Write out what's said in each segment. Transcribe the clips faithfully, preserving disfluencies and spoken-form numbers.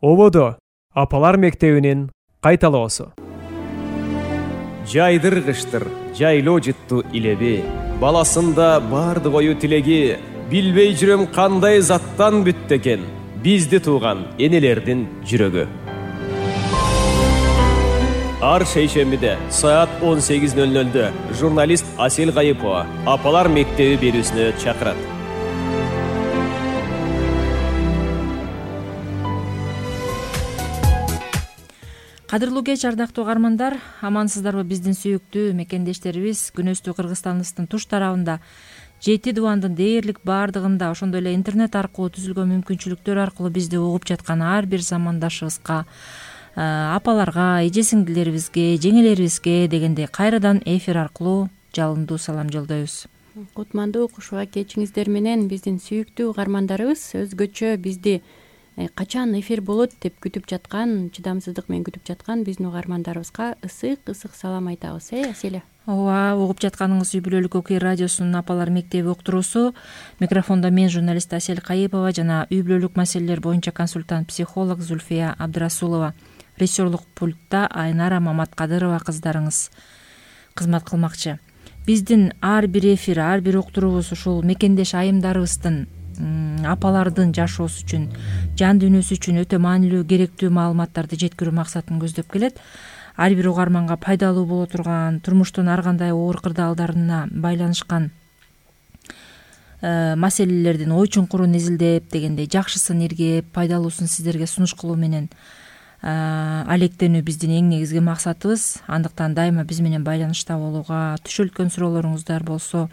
Ободо апалар мектебинин кайталоосу. Жайдыргыштыр, жайлоо жытту илеби, баласында барды кою тилеги, билбей жүрөм кандай заттан бүттү экен бизди тууган энелердин жүрөгү. Ар шейшембиде саат он сегиз ноль нольдө журналист Асель Кайыпова апалар мектеби берүүсүнө чакырат. Кадырлуу кеч, ардактуу угармандар, амансыздарбы биздин сүйүктүү мекендештерибиз? Күнөстүү Кыргызстаныбыздын туш тарабында, жети дубандын дээрлик баардыгында, ошондой эле интернет аркылуу түзүлгөн мүмкүнчүлүктөр аркылуу бизди угуп жаткан ар бир замандашыбызга, апаларга, эже сиңдилерибизге, жеңелерибизге дегендей кайрадан эфир аркылуу жалындуу салам жолдойбуз. Кутмандуу кушуга кечиңиздер менен биздин сүйүктүү угармандарыбыз өзгөчө бизди качан эфир болот деп күтүп жаткан, чыдамсыздык менен күтүп жаткан биздин угармандарыбызга ысык ысык салам айтабыз, э Аселя? Ооба, угуп жатканыңыз үй бүлөлүк ОК радиосунун апалар мектеби уктуруусу. Микрофондо мен, журналист Асель Кайыпова жана үй бүлөлүк маселелер боюнча консультант психолог Зульфия Абдрасулова. Режиссерлук пультта Айнара Маматкадырова кыздарыңыз кызмат кылмакчы. Биздин ар бир эфир, ар бир уктуруубуз ушул мекендеш айымдарыбыздын, апалардын жашоосу үчүн, жан дүйнөсү үчүн өтө маанилүү, керектүү маалыматтарды жеткирүү максатын көздөп келет. Ар бир угарманга пайдалуу боло турган, турмуштун ар кандай оор кырдаалдарына байланышкан маселелердин ой чуңкурун изилдеп дегендей жакшысын иргеп, пайдалуусун сиздерге сунуш кылуу менен алектенүү биздин эң негизги максатыбыз. Андыктан дайыма биз менен байланышта болууга, түшөлткөн суроолоруңуздар болсо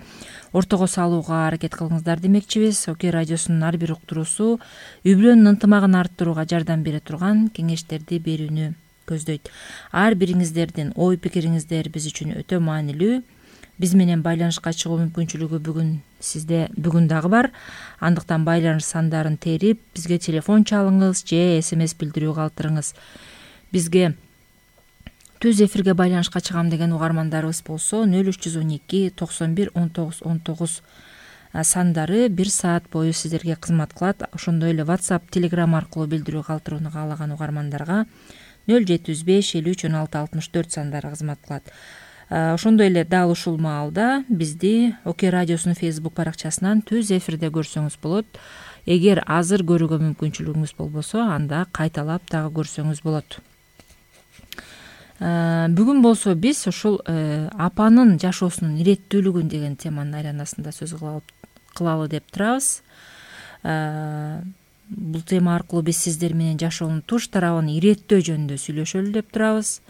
ортого салууга аракет кылыңыздар демекчибиз. ОК радиосунун ар бир уктуруусу үй бүлөнүн ынтымагын арттырууга жардам бере турган кеңештерди берүүнү көздөйт. Ар бириңиздердин ой пикириңиздер биз үчүн өтө маанилүү. Биз менен байланышка чыгуу мүмкүнчүлүгү бүгүн сизде бүгүн дагы бар. Андыктан байланыш сандарын терип, бизге телефон чалыңыз же смс билдирүү калтырыңыз. Бизге түз эфирге байланышка чыгам деген угармандарыбыз болсо нөл үч жүз он эки токсон бир он тогуз он тогуз сандары бир саат бою сиздерге кызмат кылат. Ошондой эле WhatsApp, Telegram аркылуу билдирүү калтырууну каалаган угармандарга нөл жети жүз беш элүү үч он алты алтымыш төрт сандары кызмат кылат. Ошондой эле дал ушул маалда бизди ОК радиосунун Facebook баракчасынан түз эфирде көрсөңүз болот. Эгер азыр көрүүгө мүмкүнчүлүгүңүз болбосо, анда кайталап дагы көрсөңүз болот. Бүгүн болсо биз ушул апанын жашоосунун иреттүүлүгүн деген теманын айланасында сөз кылалы деп турабыз. Бул тема аркылуу биз сиздер менен жашоонун туш тарабын иреттөө жөнүндө сүйлөшөлү деп турабыз.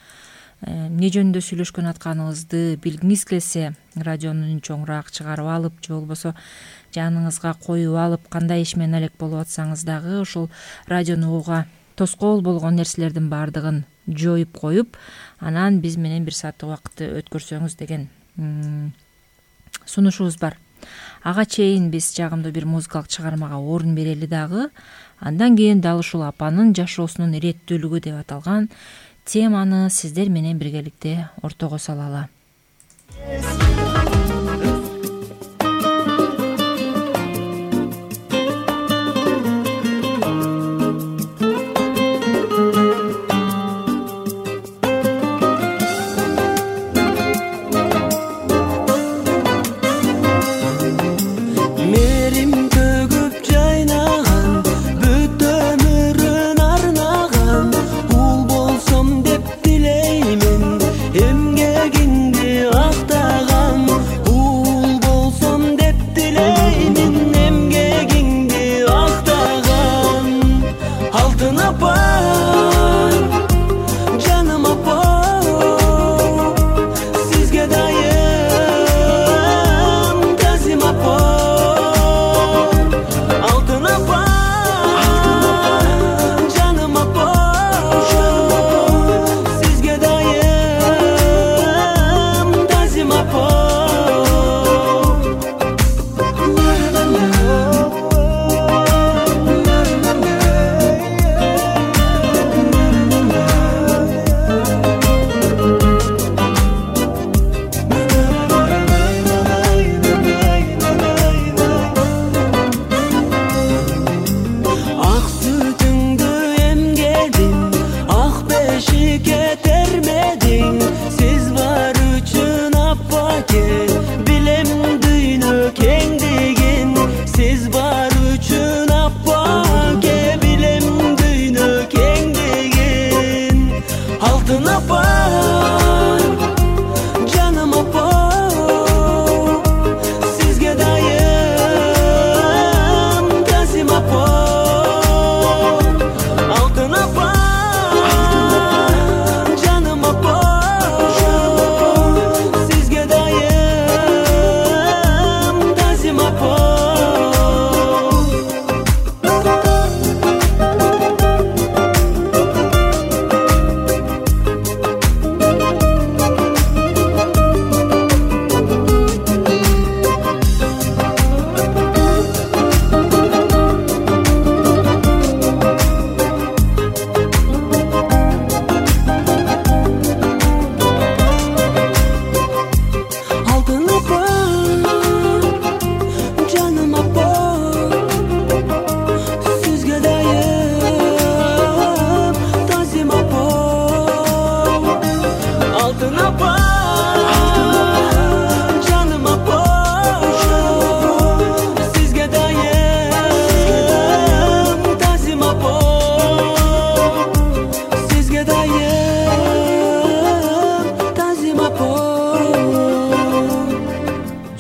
Эмне жөнүндө сүйлөшкөн атканыбызды билгиңиз келсе, радионун чоңураак чыгарып алып же болбосо жаныңызга коюп алып, кандай иш менен алек болуп атсаңыз дагы ушул радиону угууга тоскоол болгон нерселердин баардыгын жоюп коюп, анан биз менен бир сааттык убакытты өткөрсөңүз деген сунушубуз бар. Ага чейин биз жагымдуу бир музыкалык чыгармага орун берели дагы. Андан кийин дал ушул апанын жашоосунун иреттүүлүгү деп аталган теманы сиздер менен биргеликте ортого салалы.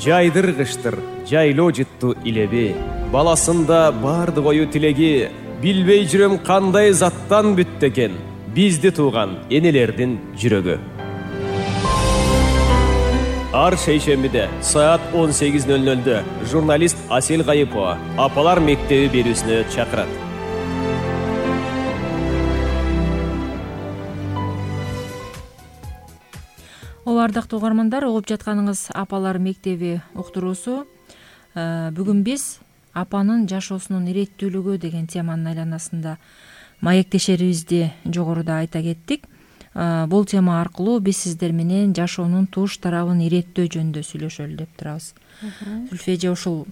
жайдыргычтыр жайлоо жыттуу илеби, баласында бардык ою тилеги, билбей жүрөм кандай заттан бүттү экен бизди тууган энелердин жүрөгү. Ар шейшембиде саат он сегиз ноль нольдө журналист Асел Гайыпова Апалар мектеби берүүсүнө чакырат. Ооба, ардактуу угармандар, угуп жатканыңыз Апалар мектеби уктуруусу. Бүгүн биз апанын жашоосунун иреттүүлүгү деген теманын айланасында маектешерибизди жогоруда айта кеттик. Бул тема аркылуу биз сиздер менен жашоонун туш тарабын иреттөө жөнүндө сүйлөшөлү деп турабыз. Зүлфи эже, ушул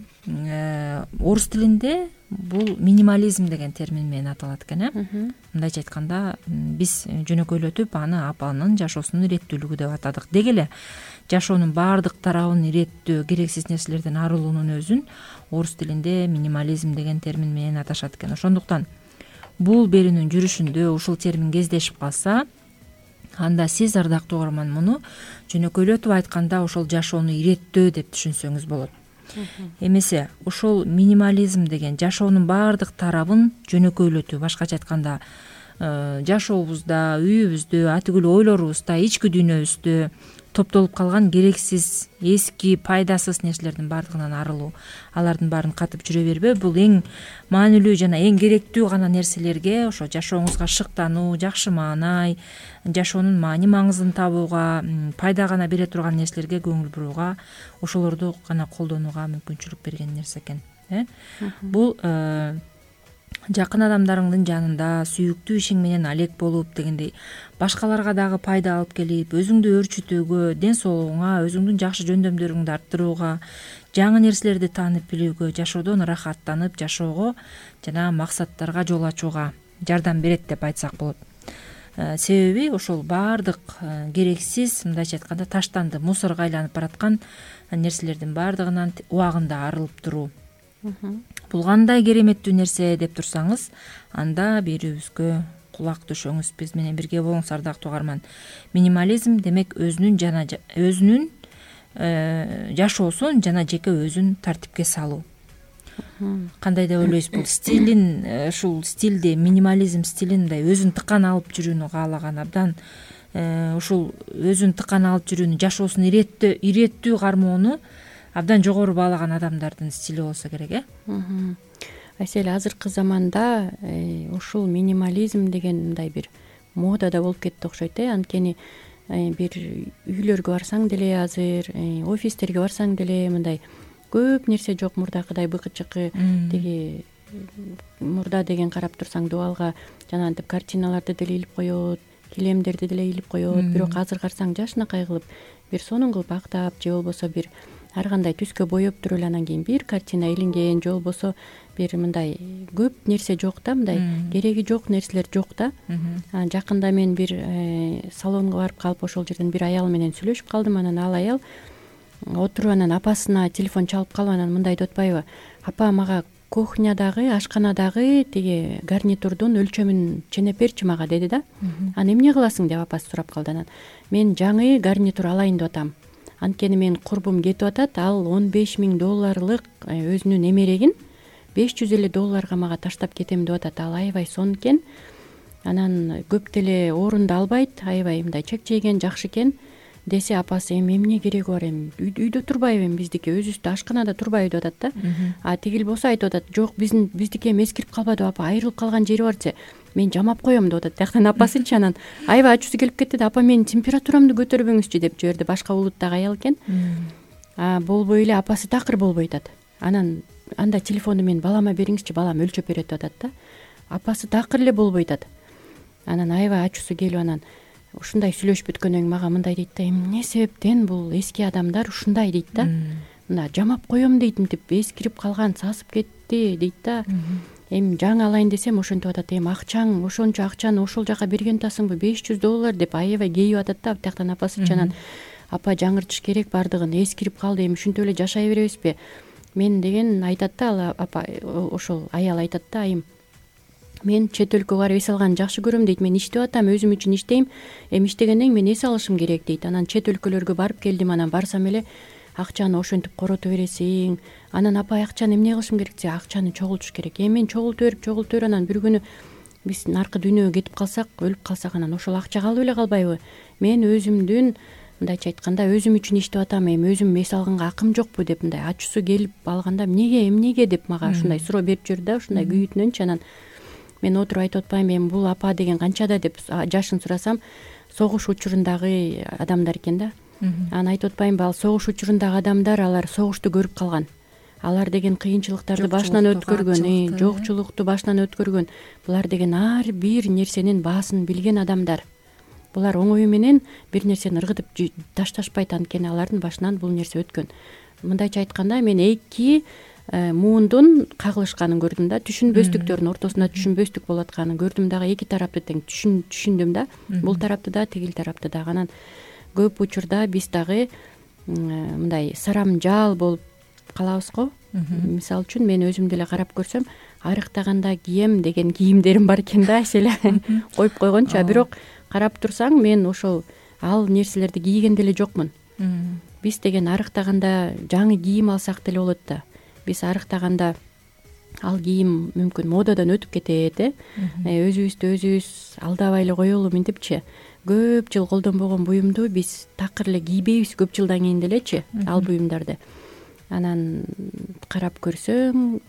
орус тилинде бул минимализм деген термин менен аталат экен, э? Мындайча айтканда, биз жөнөкөйлөтүп аны апанын жашоосунун иреттүүлүгү деп атадык. Деги эле жашоонун баардык тарабын иреттөө, керексиз нерселерден арылуунун өзүн орус тилинде минимализм деген термин менен аташат экен. Ошондуктан бул берүүнүн жүрүшүндө ушул термин кездешип калса, анда сиз, ардактуу угарман, муну жөнөкөйлөтүп айтканда ошол жашоону иреттөө деп түшүнсөңүз болот. Эмесе ушул минимализм деген жашоонун баардык тарабын жөнөкөйлөтүү, башкача айтканда жашообузда, үйүбүздө, атүгүл ойлорубузда, ички дүйнөбүздө топтолуп калган керексиз, эски, пайдасыз нерселердин баардыгынан арылуу, алардын баарын катып жүрө бербөө, бул эң маанилүү жана эң керектүү гана нерселерге, ошо жашооңузга шыктануу, жакшы маанай, жашоонун маани маңызын табууга, пайда гана бере турган нерселерге көңүл бурууга, ошолорду гана колдонууга мүмкүнчүлүк берген нерсе экен. Бул жакын адамдарыңдын жанында сүйүктүү ишиң менен алек болуп дегендей, башкаларга дагы пайда алып келип, өзүңдү өөрчүтүүгө, ден соолугуңа, өзүңдүн жакшы жөндөмдөрүңдү арттырууга, жаңы нерселерди таанып билүүгө, жашоодон ырахаттанып жашоого жана максаттарга жол ачууга жардам берет деп айтсак болот. Себеби ошол баардык керексиз, мындайча айтканда, таштанды, мусорго айланып бараткан нерселердин баардыгынан убагында арылып туруу. Бул кандай кереметтүү нерсе деп турсаңыз, анда берүүбүзгө кулак түшөңүз, биз менен бирге болуңуз, ардактуу угарман. Минимализм демек өзүнүн жана өзүнүн жашоосун жана жеке өзүн тартипке салуу. Кандай деп ойлойсуз, бул стилин, ушул стилде, минимализм стилин мындай өзүн тыкан алып жүрүүнү каалаган, абдан ушул өзүн тыкан алып жүрүүнү, жашоосун иреттөө, иреттүү кармоону абдан жогору баалаган адамдардын стили болсо керек, э? Айсел, азыркы заманда ушул минимализм деген мындай бир модада болуп кетти окшойт, э? Анткени бир үйлөргө барсаң деле азыр, офистерге барсаң деле мындай көп нерсе жок, мурдакыдай быкычыкы, деги мурда деген карап турсаң дубалга жанагынтип картиналарды деле илип коет, килемдерди деле илип коет, бирок азыр карасаң жашынакай кылып бир сонун кылып актап, же болбосо бир ар кандай түскө боеп туруп эле анан кийин бир картина илинген, же болбосо бир мындай көп нерсе жок да, мындай кереги жок нерселер жок да. Жакында мен бир салонго барып калып, ошол жерден бир аял менен сүйлөшүп калдым. Анан ал аял отуруп, анан апасына телефон чалып калып, анан мындай деп атпайбы: апа, мага кухнядагы, ашканадагы тиги гарнитурдун өлчөмүн ченеп берчи мага, деди да. Анан эмне кыласың деп апасы сурап калды. Анан мен жаңы гарнитур алайын деп атам. Анткени менин курбум кетип атат, ал он беш миң долларлык өзүнүн эмерегин беш жүз элүү долларга мага таштап кетем деп атат. Ал аябай сонун экен. Анан көп деле орунду албайт, аябай мындай чекчейген, жакшы экен десе, апасы эми эмне кереги бар, эми үйдө турбайбы, эми биздики өзүбүздө ашканада турбайбы деп атат да. А тигил болсо айтып атат: жок, биздин биздики эми эскирип калбады апа, айрылып калган жери бар десе, мен жамап коем деп атат. Тияктан апасычы. Анан аябай ачуусу келип кетти да: апа, менин температурамды көтөрбөңүзчү деп жиберди. Башка улуттагы аял экен. А болбой эле апасы такыр болбой атат. Анан анда телефонду мен балама бериңизчи, балам өлчөп берет деп атат да. Апасы такыр эле болбой атат. Анан аябай ачуусу келип, анан ушундай сүйлөшүп бүткөндөн кийин мага мындай дейт да: эмне себептен бул эски адамдар ушундай дейт да. Мына жамап коем дейт, мынтип эскирип калган, сасып кетти дейт да. Эми жаңы алайын десем ошентип атат: эми акчаң, ошончо акчаны ошол жака берген атасыңбы, беш жүз доллар деп аябай кейип атат да. Тияктан апасычы. Анан апа, жаңыртыш керек баардыгын, эскирип калды, эми ушинтип эле жашай беребизби мен деген айтат да. Ал апа, ошол аял айтат да: айым, мен чет өлкөгө барып эс алганды жакшы көрөм дейт. Мен иштеп атам, өзүм үчүн иштейм. Эми иштегенден кийин мен эс алышым керек дейт. Анан чет өлкөлөргө барып келдим. Анан барсам эле акчаны ошентип корото бересиң. Анан апай акчаны эмне кылышым керек десе, акчаны чогултуш керек. Эми чогултуп берип чогултуп берип анан бир күнү биз наркы дүйнөгө кетип калсак, өлүп калсак, анан ошол акча калып эле калбайбы? Мен өзүмдүн мындайча айтканда өзүм үчүн иштеп атам, эми өзүм эс алганга акым жокпу деп мындай ачуусу келип алганда эмнеге эмнеге деп мага ушундай суроо берип жүрдү да, ушундай күйүтүнөнчү. Анан мен отуруп айтып атпаймынбы, эми бул апа деген канчада деп жашын сурасам, согуш учурундагы адамдар экен да. Анан айтып атпаймынбы, ал согуш учурундагы адамдар, алар согушту көрүп калган. Алар деген кыйынчылыктарды башынан өткөргөн, жокчулукту башынан өткөргөн. Булар деген ар бир нерсенин баасын билген адамдар. Булар оңою менен бир нерсени ыргытып ташташпайт, анткени алардын башынан бул нерсе өткөн. Мындайча айтканда, мен эки муундун кагылышканын көрдүм да, түшүнбөстүктөрдүн ортосунда түшүнбөстүк болуп атканын көрдүм дагы, эки тарапты тең түшүндүм да, бул тарапты да, тигил тарапты дагы. Анан көп учурда биз дагы мындай сарамжаал болуп калабыз го. Мисалы үчүн мен өзүмдү эле карап көрсөм, арыктаганда кийем деген кийимдерим бар экен да, эс эле коюп койгончу. А бирок карап турсаң, мен ошол ал нерселерди кийген деле жокмун. Биз деген арыктаганда жаңы кийим алсак деле болот да. Биз арыктаганда ал кийим мүмкүн модадан өтүп кетет, э өзүбүздү өзүбүз алдабай эле коелу мынтипчи. Көп жыл колдонбогон буюмду биз такыр эле кийбейбиз көп жылдан кийин делечи ал буюмдарды. Анан карап көрсөң,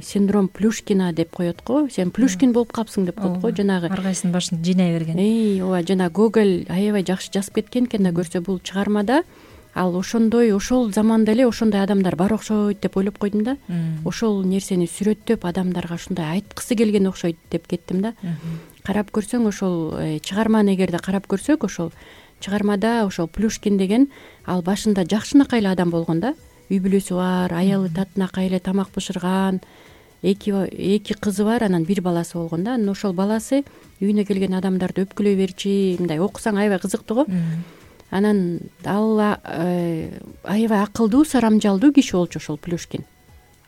синдром Плюшкина деп коет го. Сен Плюшкин болуп калыпсың деп коет го, жанагы. Ар кайсынын башын жыйнай берген. Эй, ооба, жана Гоголь аябай жакшы жазып кеткен экен да, көрсө бул чыгармада ал ошондой, ошол заманда эле ошондой адамдар бар окшойт деп ойлоп койдум да. Ошол нерсени сүрөттөп адамдарга ушундай айткысы келген окшойт деп кеттим да. Карап көрсөң, ошол чыгарманы эгерде карап көрсөк, ошол чыгармада ошол Плюшкин деген ал башында жакшынакай эле адам болгон да. Үй бүлөсү бар, аялы татынакай эле тамак бышырган, эки эки кызы бар, анан бир баласы болгон да. Анан ошол баласы үйүнө келген адамдарды өпкөлөй берчи, мындай окусаң аябай кызыктуу го. Анан ал аябай акылдуу, сарамжалдуу киши болчу ошол Плюшкин.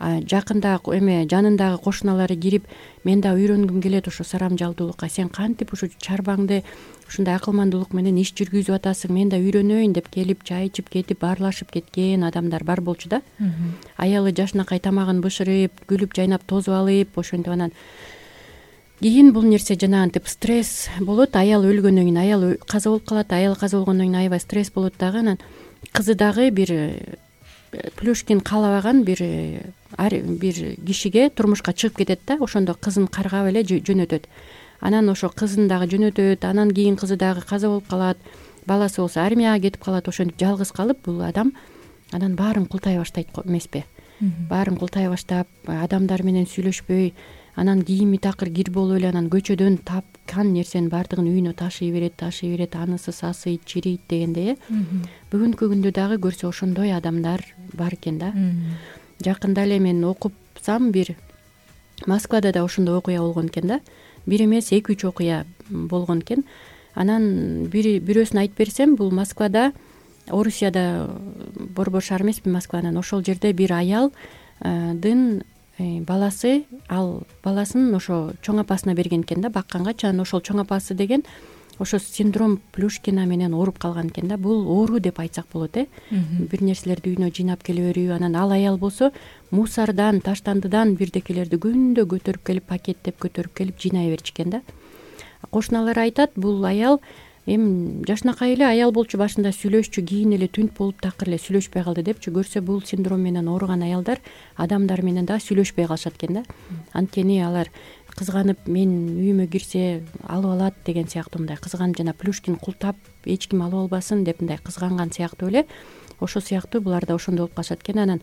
Жакында эме жанындагы кошуналары кирип, мен да үйрөнгүм келет ошо сарамжалдуулукка, сен кантип ушу чарбаңды ушундай акылмандуулук менен иш жүргүзүп атасың, мен да үйрөнөйүн деп келип, чай ичип кетип, баарлашып кеткен адамдар бар болчу да. Аялы жашынакай тамагын бышырып, күлүп жайнап тозуп алып, ошентип анан кийин бул нерсе жанагынтип стресс болот. Аял өлгөндөн кийин аял каза болуп калат, аял каза болгондон кийин аябай стресс болот дагы. Анан кызы дагы бир Плюшкин каалабаган бир бир кишиге турмушка чыгып кетет да, ошондо кызын каргап эле жөнөтөт. Анан ошо кызын дагы жөнөтөт, анан кийин кызы дагы каза болуп калат, баласы болсо армияга кетип калат. Ошентип жалгыз калып бул адам анан баарын култай баштайт эмеспи? Баарын култай баштап, адамдар менен сүйлөшпөй, анан кийими такыр кир болуп эле, анан көчөдөн тапкан нерсенин баардыгын үйүнө ташый берет, ташый берет, анысы сасыйт, чирийт дегендей, э. Бүгүнкү күндө дагы көрсө ошондой адамдар бар экен да. Жакында эле мен окупсам, бир Москвада да ошондой окуя болгон экен да. Бир эмес, эки үч окуя болгон экен. Анан бир бирөөсүн айтып берсем, бул Москвада, Орусияда борбор шаар эмеспи Москванын, ошол жерде бир аялдын баласы, ал баласын ошо чоң апасына берген экен да, бакканга. Анан ошол чоң апасы деген ошо синдром Плюшкина менен ооруп калган экен да. Бул оору деп айтсак болот, э. Бир нерселерди үйүнө жыйнап келе берүү. Анан ал аял болсо мусордан, таштандыдан бирдекелерди күндө көтөрүп келип, пакеттеп көтөрүп келип жыйнай берчү экен да. Кошуналары айтат, бул аял эми жашынакай эле аял болчу, башында сүйлөшчү, кийин эле түнт болуп такыр эле сүйлөшпөй калды депчи. Көрсө бул синдром менен ооруган аялдар адамдар менен да сүйлөшпөй калышат экен да. Анткени алар кызганып, мен үйүмө кирсе алып алат деген сыяктуу, мындай кызганып, жана Плюшкин култап эч ким алып албасын деп мындай кызганган сыяктуу эле. Ошо сыяктуу булар да ошондой болуп калышат экен. Анан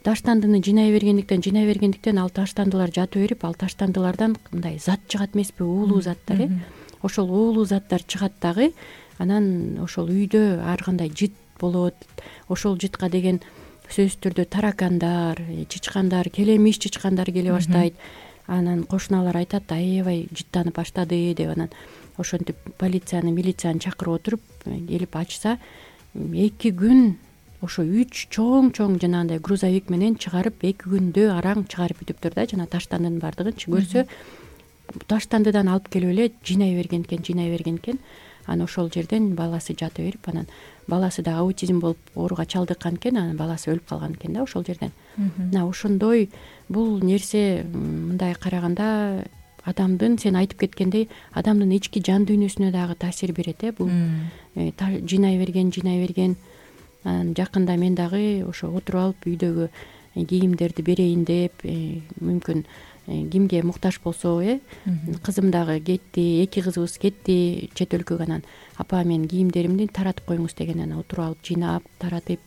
таштандыны жыйнай бергендиктен, жыйнай бергендиктен ал таштандылар жатып берип, ал таштандылардан мындай зат чыгат эмеспи, уулуу заттар, э. Ошол уулуу заттар чыгат дагы. Анан ошол үйдө ар кандай жыт болот. Ошол жытка деген сөзсүз түрдө таракандар, чычкандар, келемиш чычкандар келе баштайт. Анан кошуналар айтат, аябай жыттанып баштады деп. Анан ошентип полицияны, милицияны чакырып отуруп, келип ачса, эки күн ошо үч чоң-чоң жанагындай грузовик менен чыгарып, эки күндө араң чыгарып бүтүптүр да, жана таштандынын баардыгынчы. Көрсө таштандыдан алып келип эле жыйнай берген экен, жыйнай берген экен. анан ошол жерден баласы жата берип, анан баласы дагы аутизм болуп ооруга чалдыккан экен, анан баласы өлүп калган экен да ошол жерден. Мына ошондой бул нерсе мындай караганда адамдын, сен айтып кеткендей, адамдын ички жан дүйнөсүнө дагы таасир берет э бул. Жыйнай берген, жыйнай берген. Анан жакында мен дагы ошо отуруп алып үйдөгү кийимдерди берейин деп, мүмкүн кимге муктаж болсо, э кызым дагы кетти, эки кызыбыз кетти чет өлкөгө, анан апа мен кийимдеримди таратып коюңуз деген, анан отуруп алып жыйнап таратып,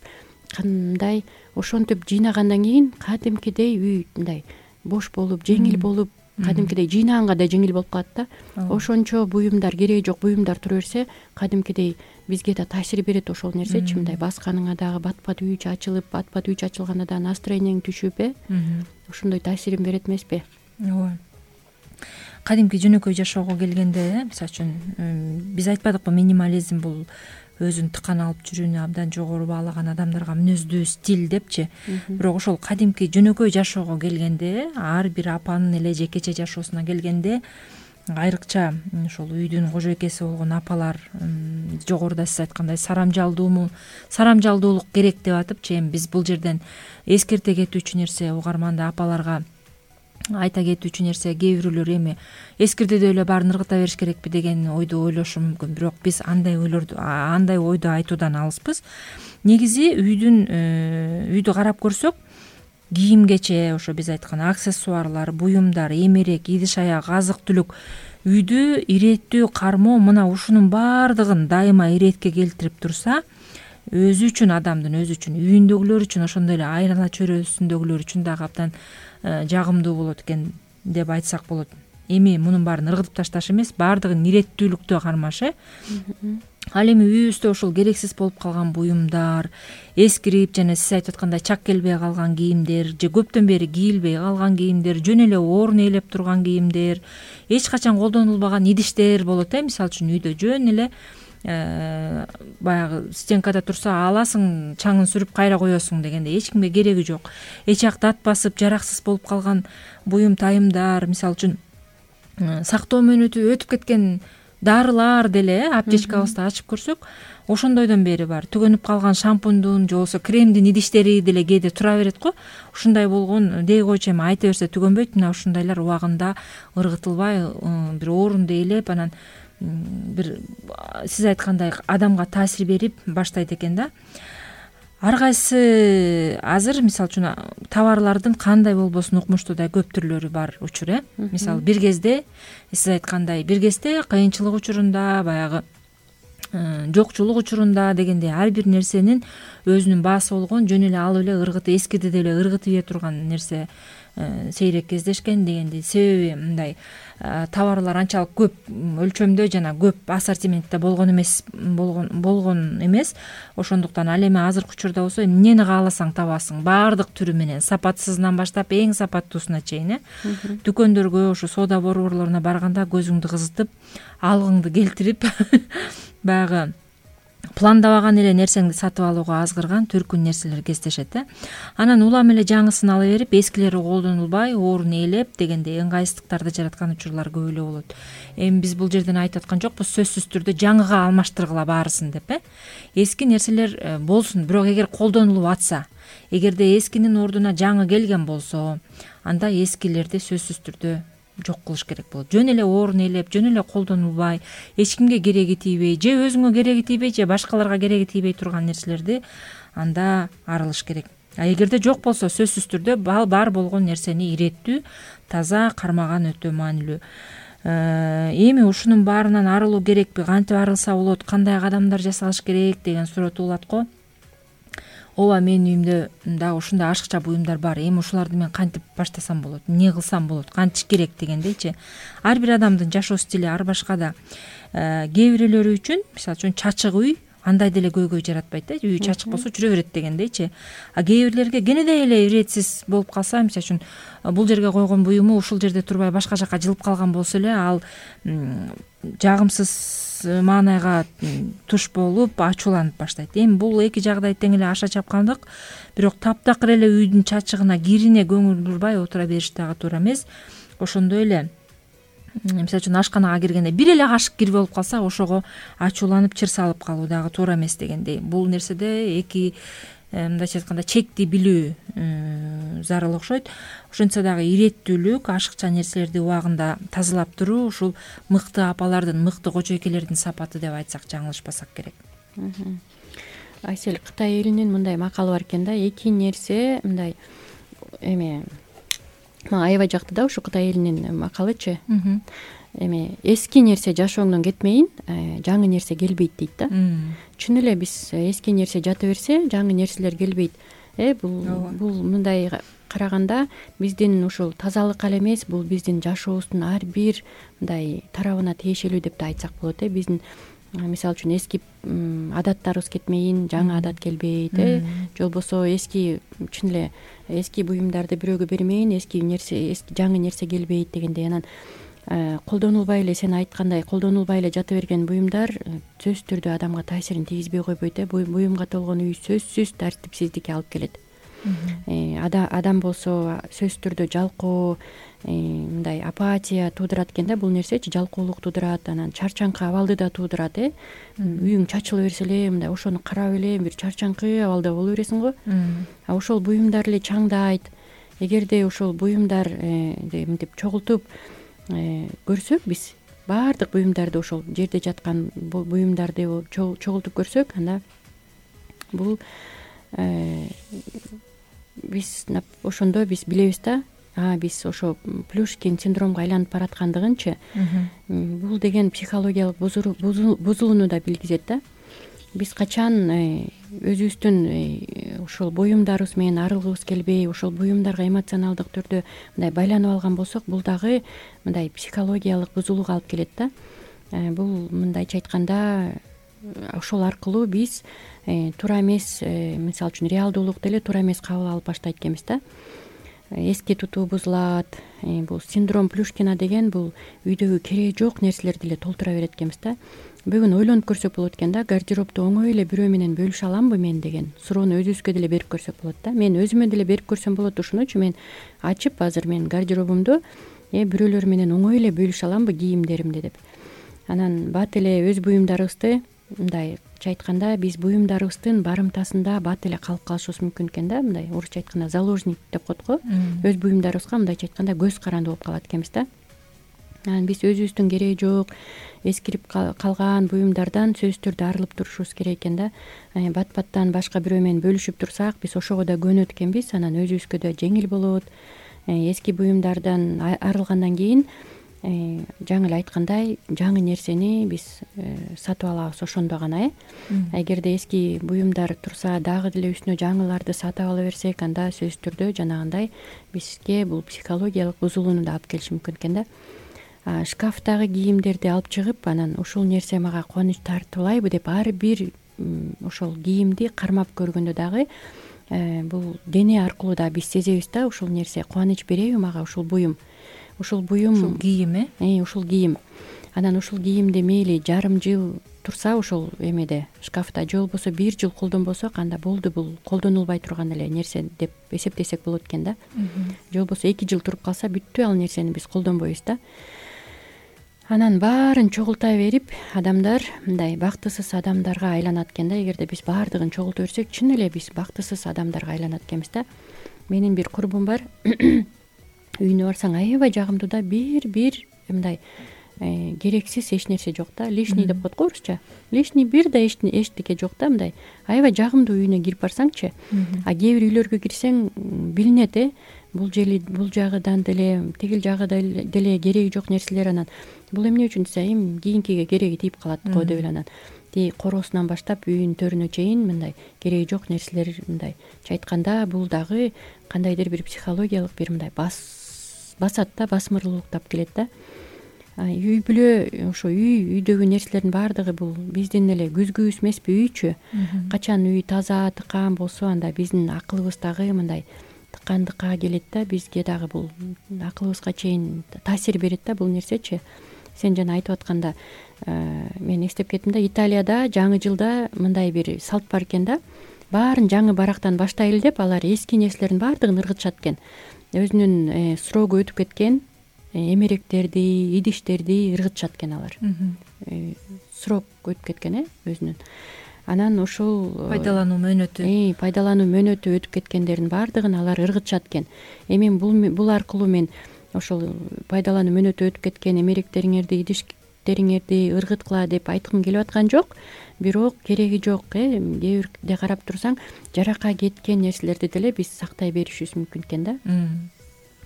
кандай ошентип жыйнагандан кийин кадимкидей үй мындай бош болуп, жеңил болуп, кадимкидей жыйнаганга да жеңил болуп калат да. Ошончо буюмдар, кереги жок буюмдар тура берсе, кадимкидей бизге да таасир берет ошол нерсечи. Мындай басканыңа дагы бат-бат үйү ачылып, бат-бат үйү ачылганда да настроениең түшүп, э ошондой таасирин берет эмеспи? Ооба. Кадимки жөнөкөй жашоого келгенде, мисалы үчүн биз айтпадыкпы, минимализм бул өзүн тыкан алып жүрүүнү абдан жогору баалаган адамдарга мүнөздүү стиль депчи. Бирок ошол кадимки жөнөкөй жашоого келгенде, ар бир апанын эле жекече жашоосуна келгенде, айрыкча ошол үйдүн кожоекеси болгон апалар жогоруда сиз айткандай сарамжалдууму, сарамжалдуулук керек деп атыпчы. Эми биз бул жерден эскерте кетүүчү нерсе, угарманды апаларга айта кетүүчү нерсе, кээ бирөөлөр эми эскирдеде эле баарын ыргыта бериш керекпи деген ойду ойлошу мүмкүн. Бирок биз андай ойлорду, андай ойду айтуудан алыспыз. Негизи үйдүн үйдү карап көрсөк, кийим-кече, ошо биз айткан аксессуарлар, буюмдар, эмерек, идиш аяк, азык-түлүк үйдү иреттүү кармоо, мына ушунун баардыгын дайыма иретке келтирип турса, өзү үчүн, адамдын өзү үчүн, үйүндөгүлөр үчүн, ошондой эле айнала чөйрөсүндөгүлөр үчүн дагы абдан жагымдуу болот экен деп айтсак болот. Эми мунун баарын ыргытып ташташ эмес, баардыгын иреттүүлүктө кармаш, э Ал эми үйүбүздө ошол керексиз болуп калган буюмдар, эскирип, жана сиз айтып аткандай чак келбей калган кийимдер, же көптөн бери кийилбей калган кийимдер, жөн эле орун ээлеп турган кийимдер, эч качан колдонулбаган идиштер болот, э мисалы үчүн үйдө жөн эле баягы стенкада турса аласың, чаңын сүрүп кайра коесуң дегенде эч кимге кереги жок. Эч жак дат басып, жараксыз болуп калган буюм тайымдар, мисалы үчүн сактоо мөөнөтү өтүп кеткен дарылар деле аптечкабызды ачып көрсөк, ошондойдон бери бар. Түгөнүп калган шампундун же болбосо кремдин идиштери деле кээде тура берет го. Ушундай болгон дей койчу, эми айта берсе түгөнбөйт. Мына ушундайлар убагында ыргытылбай, бир орунду ээлеп, анан бир сиз айткандай адамга таасир берип баштайт экен да. Ар кайсы азыр мисалы үчүн товарлардын кандай болбосун укмуштуу да көп түрлөрү бар учур, э мисалы бир кезде сиз айткандай бир кезде кыйынчылык учурунда, баягы жокчулук учурунда дегенде ар бир нерсенин өзүнүн баасы болгон, жөн эле алып эле ыргыты эскирде деле ыргытып ийе турган нерсе сейрек кездешкен дегенди. Себеби мындай товарлар анчалык көп өлчөмдө жана көп ассортиментте болгон эмес, болгон болгон эмес. Ошондуктан ал эми азыркы учурда болсо эмнени кааласаң табасың, баардык түрү менен, сапатсызынан баштап эң сапаттуусуна чейин, э дүкөндөргө, ошо соода борборлоруна барганда көзүңдү кызытып, алгыңды келтирип баягы пландабаган эле нерсеңди сатып алууга азгырган төркүн нерселер кездешет, э анан улам эле жаңысын ала берип, эскилери колдонулбай, орун ээлеп дегенде ыңгайсыздыктарды жараткан учурлар көп эле болот. Эми биз бул жерден айтып аткан жокпуз, сөзсүз түрдө жаңыга алмаштыргыла баарысын деп, э эски нерселер болсун, бирок эгер колдонулуп атса, эгерде эскинин ордуна жаңы келген болсо, анда эскилерди сөзсүз түрдө жок кылыш керек болот. Жөн эле орун ээлеп, жөн эле колдонулбай, эч кимге кереги тийбей, же өзүңө кереги тийбей, же башкаларга кереги тийбей турган нерселерди анда арылыш керек. А эгерде жок болсо, сөзсүз түрдө бар болгон нерсени иреттүү, таза кармаган өтө маанилүү. Эми ушунун баарынан арылуу керекпи, кантип арылса болот, кандай кадамдар жасалыш керек деген суроо туулат го. Ооба, менин үйүмдө дагы ушундай ашыкча буюмдар бар. Эми ушуларды мен кантип баштасам болот, эмне кылсам болот, кантиш керек дегендейчи. Ар бир адамдын жашоо стили ар башка да. Кээ бирөөлөрү үчүн, мисалы үчүн чачык үй андай деле көйгөй жаратпайт, э үй чачык болсо жүрө берет дегендейчи. А кээ бирлерге кенедей эле иретсиз болуп калса, мисалы үчүн бул жерге койгон буюму ушул жерде турбай башка жака жылып калган болсо эле, ал жагымсыз маанайга туш болуп ачууланып баштайт. Эми бул эки жагдай тең эле аша чапкандык, бирок таптакыр эле үйдүн чачыгына, кирине көңүл бурбай отура бериш дагы туура эмес. Ошондой эле мисалы үчүн ашканага киргенде бир эле кашык кирбей болуп калса ошого ачууланып чыр салып калуу дагы туура эмес дегендей. Бул нерседе эки мындайча айтканда чекти билүү зарыл окшойт. Ошентсе дагы иреттүүлүк, ашыкча нерселерди убагында тазалап туруу ушул мыкты апалардын, мыкты кожойкелердин сапаты деп айтсак жаңылышпасак керек. Айсел, Кытай элинин мындай макалы бар экен да, эки нерсе мындай эме мага аябай жакты да ушу Кытай элинин макалычы. Эме эски нерсе жашооңдон кетмейин, жаңы нерсе келбейт дейт да. Чын эле биз эски нерсе жата берсе, жаңы нерселер келбейт. Э бул бул мындай караганда биздин ушул тазалык ал эмес, бул биздин жашообуздун ар бир мындай тарабына тиешелүү деп да айтсак болот. Э биздин мисалы үчүн эски адаттарыбыз кетмейин, жаңы адат келбейт. Э же болбосо эски чын эле эски буюмдарды бирөөгө бермейин, эски нерсе, эски жаңы нерсе келбейт дегендей. Анан колдонулбай эле, сен айткандай колдонулбай эле жата берген буюмдар сөзсүз түрдө адамга таасирин тийгизбей койбойт. Э буюмга толгон үй сөзсүз тартипсиздикке алып келет. Адам болсо сөзсүз түрдө жалкоо, мындай апатия туудурат экен да. Бул нерсечи жалкоолук туудурат, анан чарчаңкы абалды да туудурат. Э үйүң чачыла берсе эле мындай ошону карап эле бир чарчаңкы абалда боло бересиң го. А ошол буюмдар эле чаңдайт. Эгерде ошол буюмдар мынтип чогултуп көрсөк, биз баардык буюмдарды, ошол жерде жаткан буюмдарды чогултуп көрсөк, анда бул биз ошондо биз билебиз да, а биз ошо Плюшкин синдромго айланып бараткандыгынчы. Бул деген психологиялык бузулууну да билгизет да. Биз качан өзүбүздүн ошол буюмдарыбыз менен арылгыбыз келбей, ошол буюмдарга эмоционалдык түрдө мындай байланып алган болсок, бул дагы мындай психологиялык бузулууга алып келет да. Бул мындайча айтканда ошол аркылуу биз туура эмес, мисалы үчүн реалдуулукту эле туура эмес кабыл алып баштайт экенбиз да. Эске тутуу бузулат. Бул синдром Плюшкина деген бул үйдөгү кереги жок нерселерди эле толтура берет экенбиз да. Бүгүн ойлонуп көрсөк болот экен да, гардеробду оңой эле бирөө менен бөлүшө аламбы мен деген суроону өзүбүзгө деле берип көрсөк болот да. Мен өзүмө деле берип көрсөм болот ушунучу, мен ачып азыр мен гардеробумду бирөөлөр менен оңой эле бөлүшө аламбы кийимдеримди деп. Анан бат эле өз буюмдарыбызды мындайча айтканда биз буюмдарыбыздын барымтасында бат эле калып калышыбыз мүмкүн экен да. Мындай орусча айтканда заложник деп коет го. Өз буюмдарыбызга мындайча айтканда көз каранды болуп калат экенбиз да. Анан биз өзүбүздүн кереги жок, эскирип калган буюмдардан сөзсүз түрдө арылып турушубуз керек экен да. Бат-баттан башка бирөө менен бөлүшүп турсак, биз ошого да көнөт экенбиз. Анан өзүбүзгө да жеңил болот. Эски буюмдардан арылгандан кийин жаңы эле айткандай жаңы нерсени биз сатып алабыз ошондо гана. Э эгерде эски буюмдар турса, дагы деле үстүнө жаңыларды сатып ала берсек, анда сөзсүз түрдө жанагындай бизге бул психологиялык бузулууну да алып келиши мүмкүн экен да. Шкафтагы кийимдерди алып чыгып, анан ушул нерсе мага кубаныч тартуулайбы деп ар бир ошол кийимди кармап көргөндө дагы бул дене аркылуу да биз сезебиз да, ушул нерсе кубаныч береби мага, ушул буюм, ушул буюм, ушул кийим. Э ушул кийим. Анан ушул кийимди мейли жарым жыл турса ошол эмеде шкафта, же болбосо бир жыл колдонбосок, анда болду, бул колдонулбай турган эле нерсе деп эсептесек болот экен да. Же болбосо эки жыл туруп калса, бүттү ал нерсени биз колдонбойбуз да. Анан баарын чогулта берип, адамдар мындай бактысыз адамдарга айланат экен да. Эгерде биз баардыгын чогулта берсек, чын эле биз бактысыз адамдарга айланат экенбиз да. Менин бир курбум бар. Үйүнө барсаң аябай жагымдуу да, бир-бир мындай керексиз эч нерсе жок да. Лишний деп коет го орусча. Лишний бир да эчтеке жок да, мындай аябай жагымдуу үйүнө кирип барсаңчы. А кээ бир үйлөргө кирсең билинет. Э бул жери бул жагыдан деле, тигил жагыда деле кереги жок нерселер. Анан бул эмне үчүн десе, эми кийинкиге кереги тийип калат го деп эле, анан тиги короосунан баштап үйүнүн төрүнө чейин мындай кереги жок нерселер, мындай айтканда бул дагы кандайдыр бир психологиялык бир мындай бас басат да, басмырлуулуктап келет да. Үй бүлө, ошо үй, үйдөгү нерселердин баардыгы бул биздин эле күзгүбүз эмеспи үйчү. Качан үй таза, тыкаан болсо, анда биздин акылыбыз дагы мындай тыкандыкка келет да, бизге дагы бул акылыбызга чейин таасир берет да бул нерсечи. Сен жана айтып атканда мен эстеп кеттим да, Италияда жаңы жылда мындай бир салт бар экен да. Баарын жаңы барактан баштайлы деп, алар эски нерселердин баардыгын ыргытышат экен. Өзүнүн срогу өтүп кеткен эмеректерди, идиштерди ыргытышат экен алар. Срок өтүп кеткен э өзүнүн. Анан ошол пайдалануу мөөнөтү пайдалануу мөөнөтү өтүп кеткендердин баардыгын алар ыргытышат экен. Эми бул бул аркылуу мен ошол пайдалануу мөөнөтү өтүп кеткен эмеректериңерди, идиштериңерди ыргыткыла деп айткым келип аткан жок. Бирок кереги жок э кээ бирде карап турсаң, жарака кеткен нерселерди деле биз сактай беришибиз мүмкүн экен да.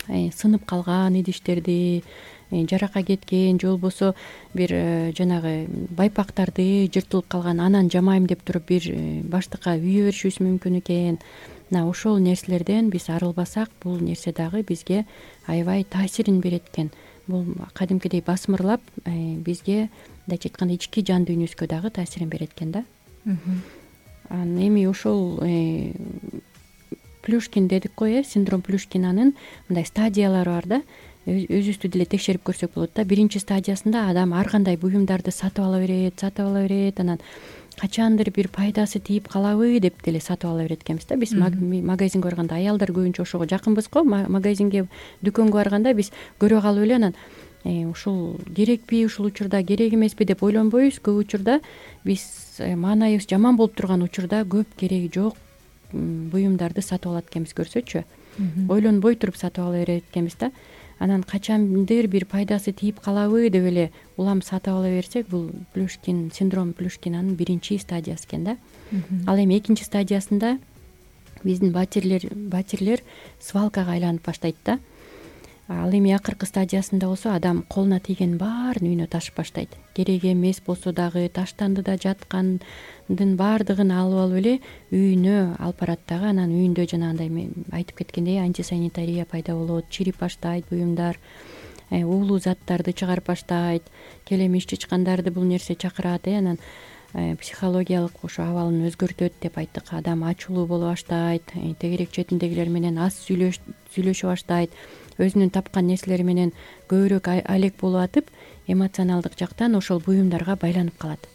Сынып калган идиштерди, жарака кеткен же болбосо бир жанагы байпактарды жыртылып калган, анан жамайм деп туруп бир баштыкка үйө беришибиз мүмкүн экен. Мына ошол нерселерден биз арылбасак, бул нерсе дагы бизге аябай таасирин берет экен. Бул кадимкидей басмырлап бизге мындайча айтканда ички жан дүйнөсүгө дагы таасирин берет экен да. Анан эми ошол Плюшкин дедик го э, синдром Плюшкинанын мындай стадиялары бар да. Өзүбүздү деле текшерип көрсөк болот да. Биринчи стадиясында адам ар кандай буюмдарды сатып ала берет, сатып ала берет, анан качандыр бир пайдасы тийип калабы деп деле сатып ала берет экенбиз да. Биз магазинге барганда аялдар көбүнчө ошого жакынбыз го. Магазинге, дүкөнгө барганда биз көрө калып эле анан ушул керекпи, ушул учурда керек эмеспи деп ойлонбойбуз. Көп учурда биз маанайыбыз жаман болуп турган учурда көп кереги жок буюмдарды сатып алат экенбиз, көрсөчү. Ойлонбой туруп сатып ала берет экенбиз да. Анан качандыр бир пайдасы тийип калабы деп эле улам сатып ала берсек, бул Плюшкин, синдром Плюшкинанын биринчи стадиясы экен да. Ал эми экинчи стадиясында биздин батирлер батирлер свалкага айланып баштайт да. Ал эми акыркы стадиясында болсо адам колуна тийгендин баарын үйүнө ташып баштайт. Керек эмес болсо дагы, таштандыда жаткандын баардыгын алып алып эле үйүнө алып барат дагы. Анан үйүндө жанагындай мен айтып кеткендей антисанитария пайда болот, чирип баштайт буюмдар, уулуу заттарды чыгарып баштайт, келемиш чычкандарды бул нерсе чакырат э. Анан психологиялык ошо абалын өзгөртөт деп айттык. Адам ачуулуу боло баштайт, тегерек четиндегилер менен аз сүйлөшө баштайт, өзүнүн тапкан нерселери менен көбүрөөк алек болуп атып, эмоционалдык жактан ошол буюмдарга байланып калат.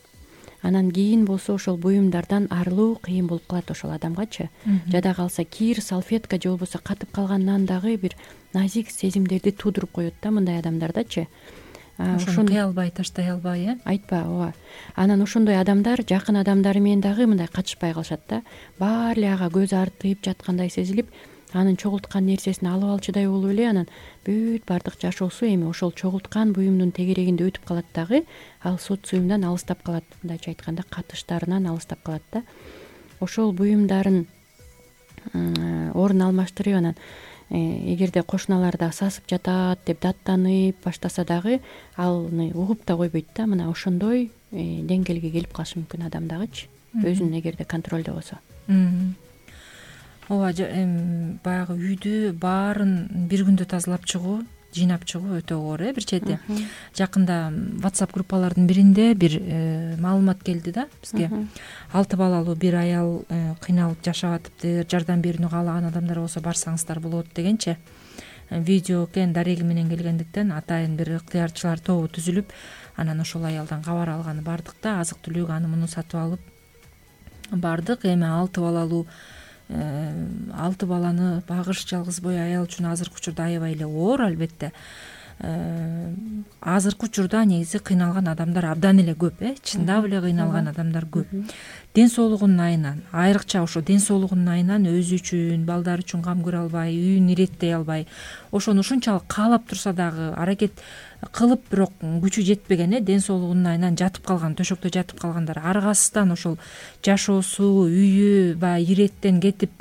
Анан кийин болсо ошол буюмдардан арылуу кыйын болуп калат ошол адамгачы. Жада калса кир, салфетка же болбосо катып калгандан дагы бир назик сезимдерди туудуруп коет да мындай адамдардачы. Ошону кыя албай, таштай албай э. Айтпа, ооба. Анан ошондой адамдар жакын адамдары менен дагы мындай катышпай калышат да. Баары эле ага көз артып жаткандай сезилип, анын чогулткан нерсесин алып алчудай болуп эле анан бүт баардык жашоосу эми ошол чогулткан буюмдун тегерегинде өтүп калат дагы. Ал социумдан алыстап калат, мындайча айтканда катыштарынан алыстап калат да. Ошол буюмдарын орун алмаштырып анан эгерде кошуналарда сасып жатат деп даттанып баштаса дагы аны угуп да койбойт да. Мына ошондой деңгээлге келип калышы мүмкүн адам дагычы, өзүн эгерде контролдо болсо. Ооба, баягы үйдү баарын бир күндө тазалап чыгуу, жыйнап чыгуу өтө оор э. Бир чети жакында WhatsApp группалардын биринде бир маалымат келди да бизге. Алты балалуу бир аял кыйналып жашап атыптыр, жардам берүүнү каалаган адамдар болсо барсаңыздар болот дегенчи. Видео экен, дареги менен келгендиктен атайын бир ыктыярчылар тобу түзүлүп, анан ошол аялдан кабар алганы бардык да, азык түлүк аны муну сатып алып бардык. Эми алты балалуу алты баланы багыш жалгыз бой аял үчүн азыркы учурда аябай эле оор, албетте. Азыркы учурда негизи кыйналган адамдар абдан эле көп э, чындап эле кыйналган адамдар көп. Ден соолугунун айынан, айрыкча ошо ден соолугунун айынан өзү үчүн, балдары үчүн кам көрө албай, үйүн иреттей албай, ошону ушунчалык каалап турса дагы аракет кылып, бирок күчү жетпеген э, ден соолугунун айынан жатып калган, төшөктө жатып калгандар, аргасыздан ошол жашоосу, үйү баягы иреттен кетип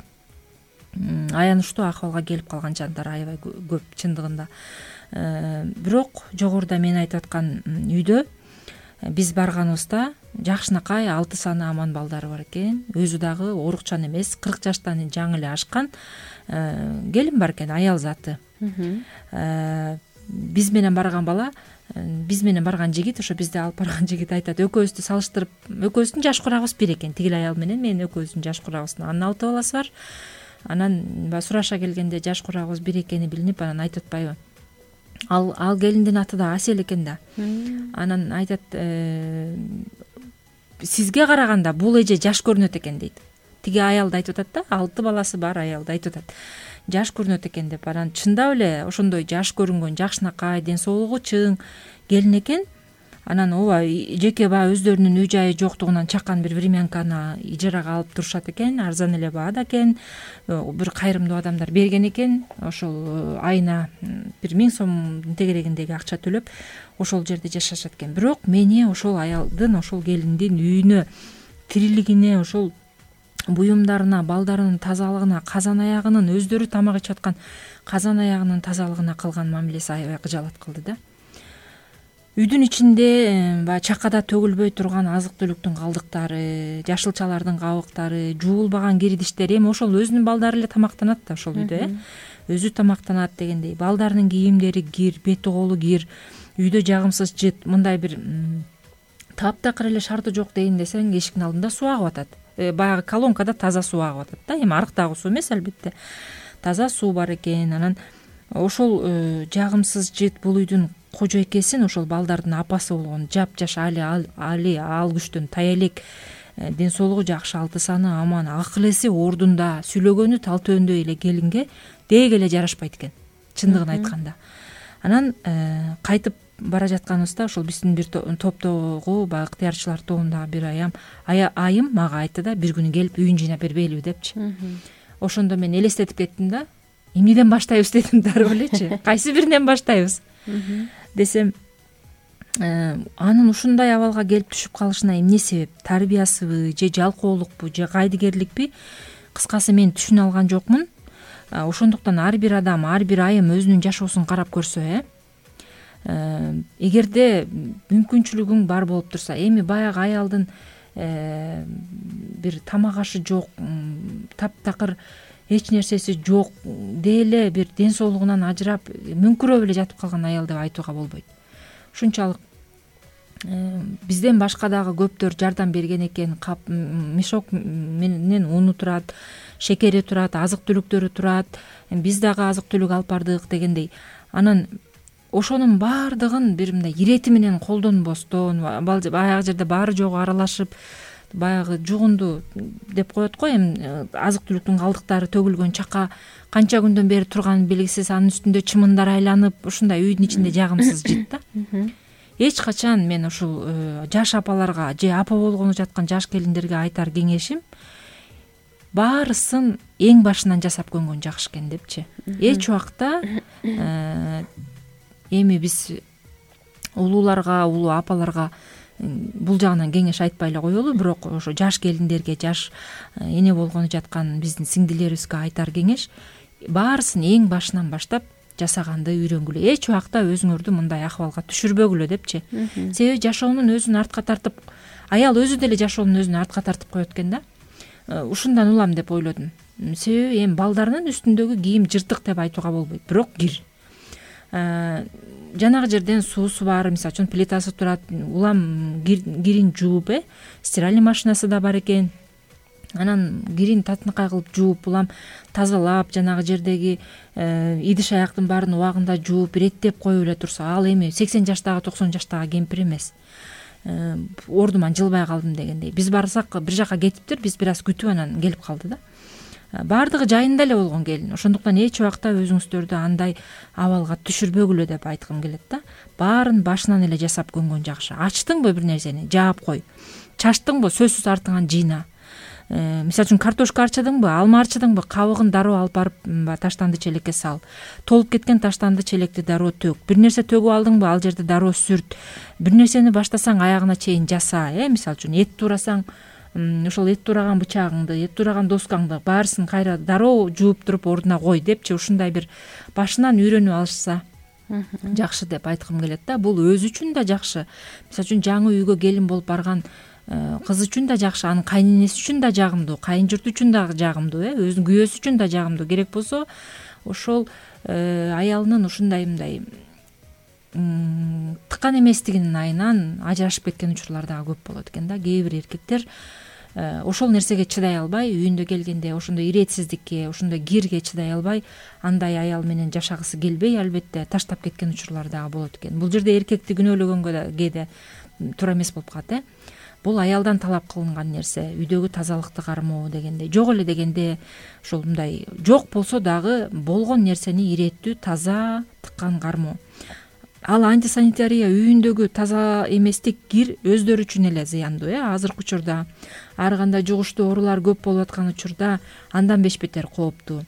аянычтуу акыбалга келип калган жандар аябай көп чындыгында. Бирок жогоруда мен айтып аткан үйдө биз барганыбызда жакшынакай алты саны аман балдары бар экен. Өзү дагы оорукчан эмес, кырк жаштан жаңы эле ашкан келин бар экен, аял заты. Биз менен барган бала, биз менен барган жигит, ошо бизди алып барган жигит айтат, экөөбүздү салыштырып, экөөбүздүн жаш курагыбыз бир экен. Тигил аял менен мен экөөбүздүн жаш курагыбыз. Анын алты баласы бар. Анан баягы сураша келгенде жаш курагыбыз бир экени билинип, анан айтып атпайбы? Ал ал келиндин аты да Асел экен да. Анан айтат, сизге караганда бул эже жаш көрүнөт экен дейт. Тиги аял да айтып атат да, алты баласы бар аял да айтып атат. жаш көрүнөт экен деп. Анан чындап эле ошондой жаш көрүнгөн, жакшынакай, ден соолугу чың келин экен. Анан ооба жеке баягы өздөрүнүн үй жайы жоктугунан чакан бир времянканы ижарага алып турушат экен, арзан эле баада экен. Бир кайрымдуу адамдар берген экен, ошол айына бир миң сомдун тегерегиндеги акча төлөп ошол жерде жашашат экен. Бирок мени ошол аялдын, ошол келиндин үйүнө, тирилигине, ошол буюмдарына, балдарынын тазалыгына, казан аягынын, өздөрү тамак ичип аткан казан аягынын тазалыгына кылган мамилеси аябай кыжалат кылды да. Үйдүн ичинде баягы чакада төгүлбөй турган азык түлүктүн калдыктары, жашылчалардын кабыктары, жуулбаган кир идиштер, эми ошол өзүнүн балдары эле тамактанат да ошол үйдө, э өзү тамактанат дегендей. Балдарынын кийимдери кир, бети колу кир, үйдө жагымсыз жыт, мындай бир таптакыр эле шарты жок дейин десең, эшиктин алдында суу агып атат. Баягы колонкада таза суу агып атат да, эми арыктагы суу эмес албетте. Таза суу бар экен. Анан ошол жагымсыз жыт бул үйдүн кожойкесин, ошол балдардын апасы болгон жапжаш али али ал күчтөн тая элек, ден соолугу жакшы, алты саны аман, акыл эси ордунда, сүйлөгөнү тал төөндөй эле келинге деги эле жарашпайт экен, чындыгын айтканда. Анан кайтып бара жатканыбызда ошол биздин бир топтогу баягы ыктыярчылар тобундагы бир аям айым мага айтты да, бир күнү келип үйүн жыйнап бербейлиби депчи. Ошондо мен элестетип кеттим да, эмнеден баштайбыз дедим, дароо элечи, кайсы биринен баштайбыз десем, анын ушундай абалга келип түшүп калышына эмне себеп? Тарбиясыбы, же жалкоолукпу, же кайдыгерликпи? Кыскасы мен түшүнө алган жокмун. Ошондуктан ар бир адам, ар бир айым өзүнүн жашоосун карап көрсө, э эгерде мүмкүнчүлүгүң бар болуп турса, эми баягы аялдын бир тамак ашы жок, таптакыр эч нерсеси жок, деле бир ден соолугунан ажырап, мүңкүрөп эле жатып калган аял деп айтууга болбойт. Ушунчалык бизден башка дагы көптөр жардам берген экен. Кап мешок менен уну турат, шекери турат, азык түлүктөрү турат. Биз дагы азык түлүк алып бардык дегендей. Анан ошонун баардыгын бир мындай ирети менен колдонбостон, баягы жерде баары жогу аралашып, баягы жугунду деп коет го, эми азык түлүктүн калдыктары төгүлгөн чака канча күндөн бери турганы белгисиз, анын үстүндө чымындар айланып, ушундай үйдүн ичинде жагымсыз жыт да. Эч качан мен ушул жаш апаларга же апа болгону жаткан жаш келиндерге айтар кеңешим, баарысын эң башынан жасап көнгөн жакшы экен депчи. Эч убакта эми биз улууларга, улуу апаларга бул жагынан кеңеш айтпай эле коелу, бирок ошо жаш келиндерге, жаш эне болгону жаткан биздин сиңдилерибизге айтар кеңеш, баарысын эң башынан баштап жасаганды үйрөнгүлө. Эч убакта өзүңөрдү мындай акыбалга түшүрбөгүлө депчи. Себеби жашоонун өзүн артка тартып, аял өзү деле жашоонун өзүн артка тартып коет экен да. Ушундан улам деп ойлодум. Себеби эми балдарынын үстүндөгү кийим жыртык деп айтууга болбойт, бирок кир. Жанагы жерден суусу бар, мисалы үчүн плитасы турат, улам кирин жууп, э стиральный машинасы да бар экен. Анан кирин татынакай кылып жууп, улам тазалап, жанагы жердеги идиш аяктын баарын убагында жууп, иреттеп коюп эле турса, ал эми сексен жаштагы, токсон жаштагы кемпир эмес. Ордуман жылбай калдым дегендей. Биз барсак бир жака кетиптир, биз бир аз күтүп анан келип калды да. Баардыгы жайында эле болгон келин. Ошондуктан эч убакта өзүңүздөрдү андай абалга түшүрбөгүлө деп айткым келет да. Баарын башынан эле жасап көнгөн жакшы. Ачтыңбы бир нерсени, жаап кой. Чачтыңбы, сөзсүз артыңан жыйна. Мисалы үчүн картошка арчыдыңбы, алма арчыдыңбы, кабыгын дароо алып барып таштанды челекке сал. Толуп кеткен таштанды челекти дароо төк. Бир нерсе төгүп алдыңбы, ал жерде дароо сүрт. Бир нерсени баштасаң аягына чейин жаса, э, мисалы үчүн эт туурасаң, ошол эт туураган бычагыңды, эт туураган доскаңды баарысын кайра дароо жууп туруп ордуна кой депчи, ушундай бир башынан үйрөнүп алышса жакшы деп айткым келет да. Бул өзү үчүн да жакшы. Мисалы үчүн жаңы үйгө келин болуп барган кыз үчүн да жакшы, анын кайненеси үчүн да жагымдуу, кайын журт үчүн да жагымдуу, э өзүнүн күйөөсү үчүн да жагымдуу. Керек болсо ошол аялынын ушундай мындай тыкан эместигинин айынан ажырашып кеткен учурлар дагы көп болот экен да. Кээ бир эркектер ошол нерсеге чыдай албай, үйүндө келгенде ошондой иретсиздикке, ошондой кирге чыдай албай, андай аял менен жашагысы келбей, албетте таштап кеткен учурлар дагы болот экен. Бул жерде эркекти күнөөлөгөнгө да кээде туура эмес болуп калат, э. бул аялдан талап кылынган нерсе, үйдөгү тазалыкты кармоо дегенде. Жок эле дегенде ошол мындай жок болсо дагы болгон нерсени иреттүү, таза тыккан кармоо. Ал антисанитария, үйүндөгү таза эместик кир өздөрү үчүн эле зыяндуу. э Азыркы учурда ар кандай жугуштуу оорулар көп болуп аткан учурда андан беш бетер кооптуу.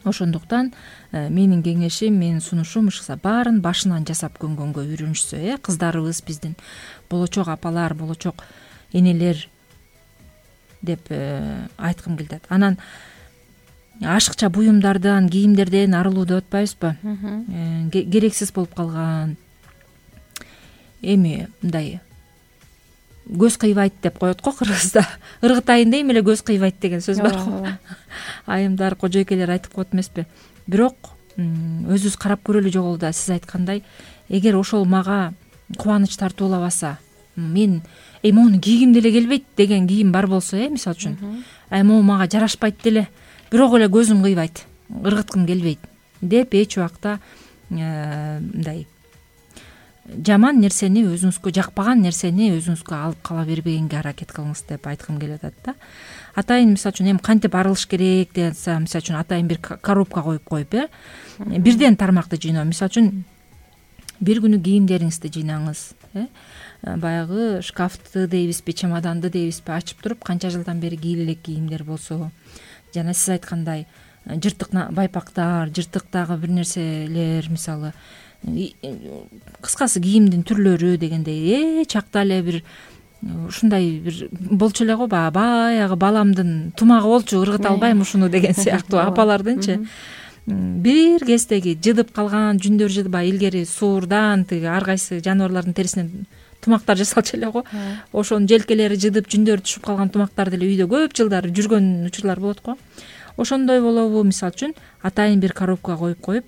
Ошондуктан менин кеңешим, менин сунушум ушса баарын башынан жасап көнгөнгө үйрөнүшсө, э кыздарыбыз биздин, болочок апалар, болочок энелер деп айткым келет. Анан ашыкча буюмдардан, кийимдерден арылуу деп атпайбызбы? Керексиз болуп калган эми мындай көз кыйбайт деп коет го кыргызда. Ыргыт айында эми эле көз кыйбайт деген сөз бар го. Айымдар, кожойкелер айтып коет эмеспи? Бирок өзүбүз карап көрөлү жогол да, сиз айткандай, эгер ошол мага кубаныч тартуулабаса, мен эй моуну кийгим деле келбейт деген кийим бар болсо, э мисалы үчүн, ай могу мага жарашпайт деле, бирок эле көзүм кыйбайт, ыргыткым келбейт деп эч убакта мындай жаман нерсени, өзүңүзгө жакпаган нерсени өзүңүзгө алып кала бербегенге аракет кылыңыз деп айткым келип атат да. Атайын мисалы үчүн эми кантип арылыш керек десе, мисалы үчүн атайын бир коробка коюп коюп, э бирден тармакты жыйноо. Мисалы үчүн бир күнү кийимдериңизди жыйнаңыз, э баягы шкафты дейбизби, чемоданды дейбизби ачып туруп, канча жылдан бери кийиле элек кийимдер болсо, жана сиз айткандай жыртык байпактар, жыртык дагы бир нерселер, мисалы кыскасы кийимдин түрлөрү дегендей, э чакта эле бир ушундай бир болчу эле го, баягы баламдын тумагы болчу, ыргыта албайм ушуну деген сыяктуу апалардынчы бир кездеги жыдып калган жүндөр жыдыбай, илгери суурдан тиги ар кайсы жаныбарлардын терисинен тумактар жасалчу эле го. Ошонун желкелери жыдып, жүндөрү түшүп калган тумактар деле үйдө көп жылдар жүргөн учурлар болот го. Ошондой болобу, мисалы үчүн атайын бир коробка коюп коюп,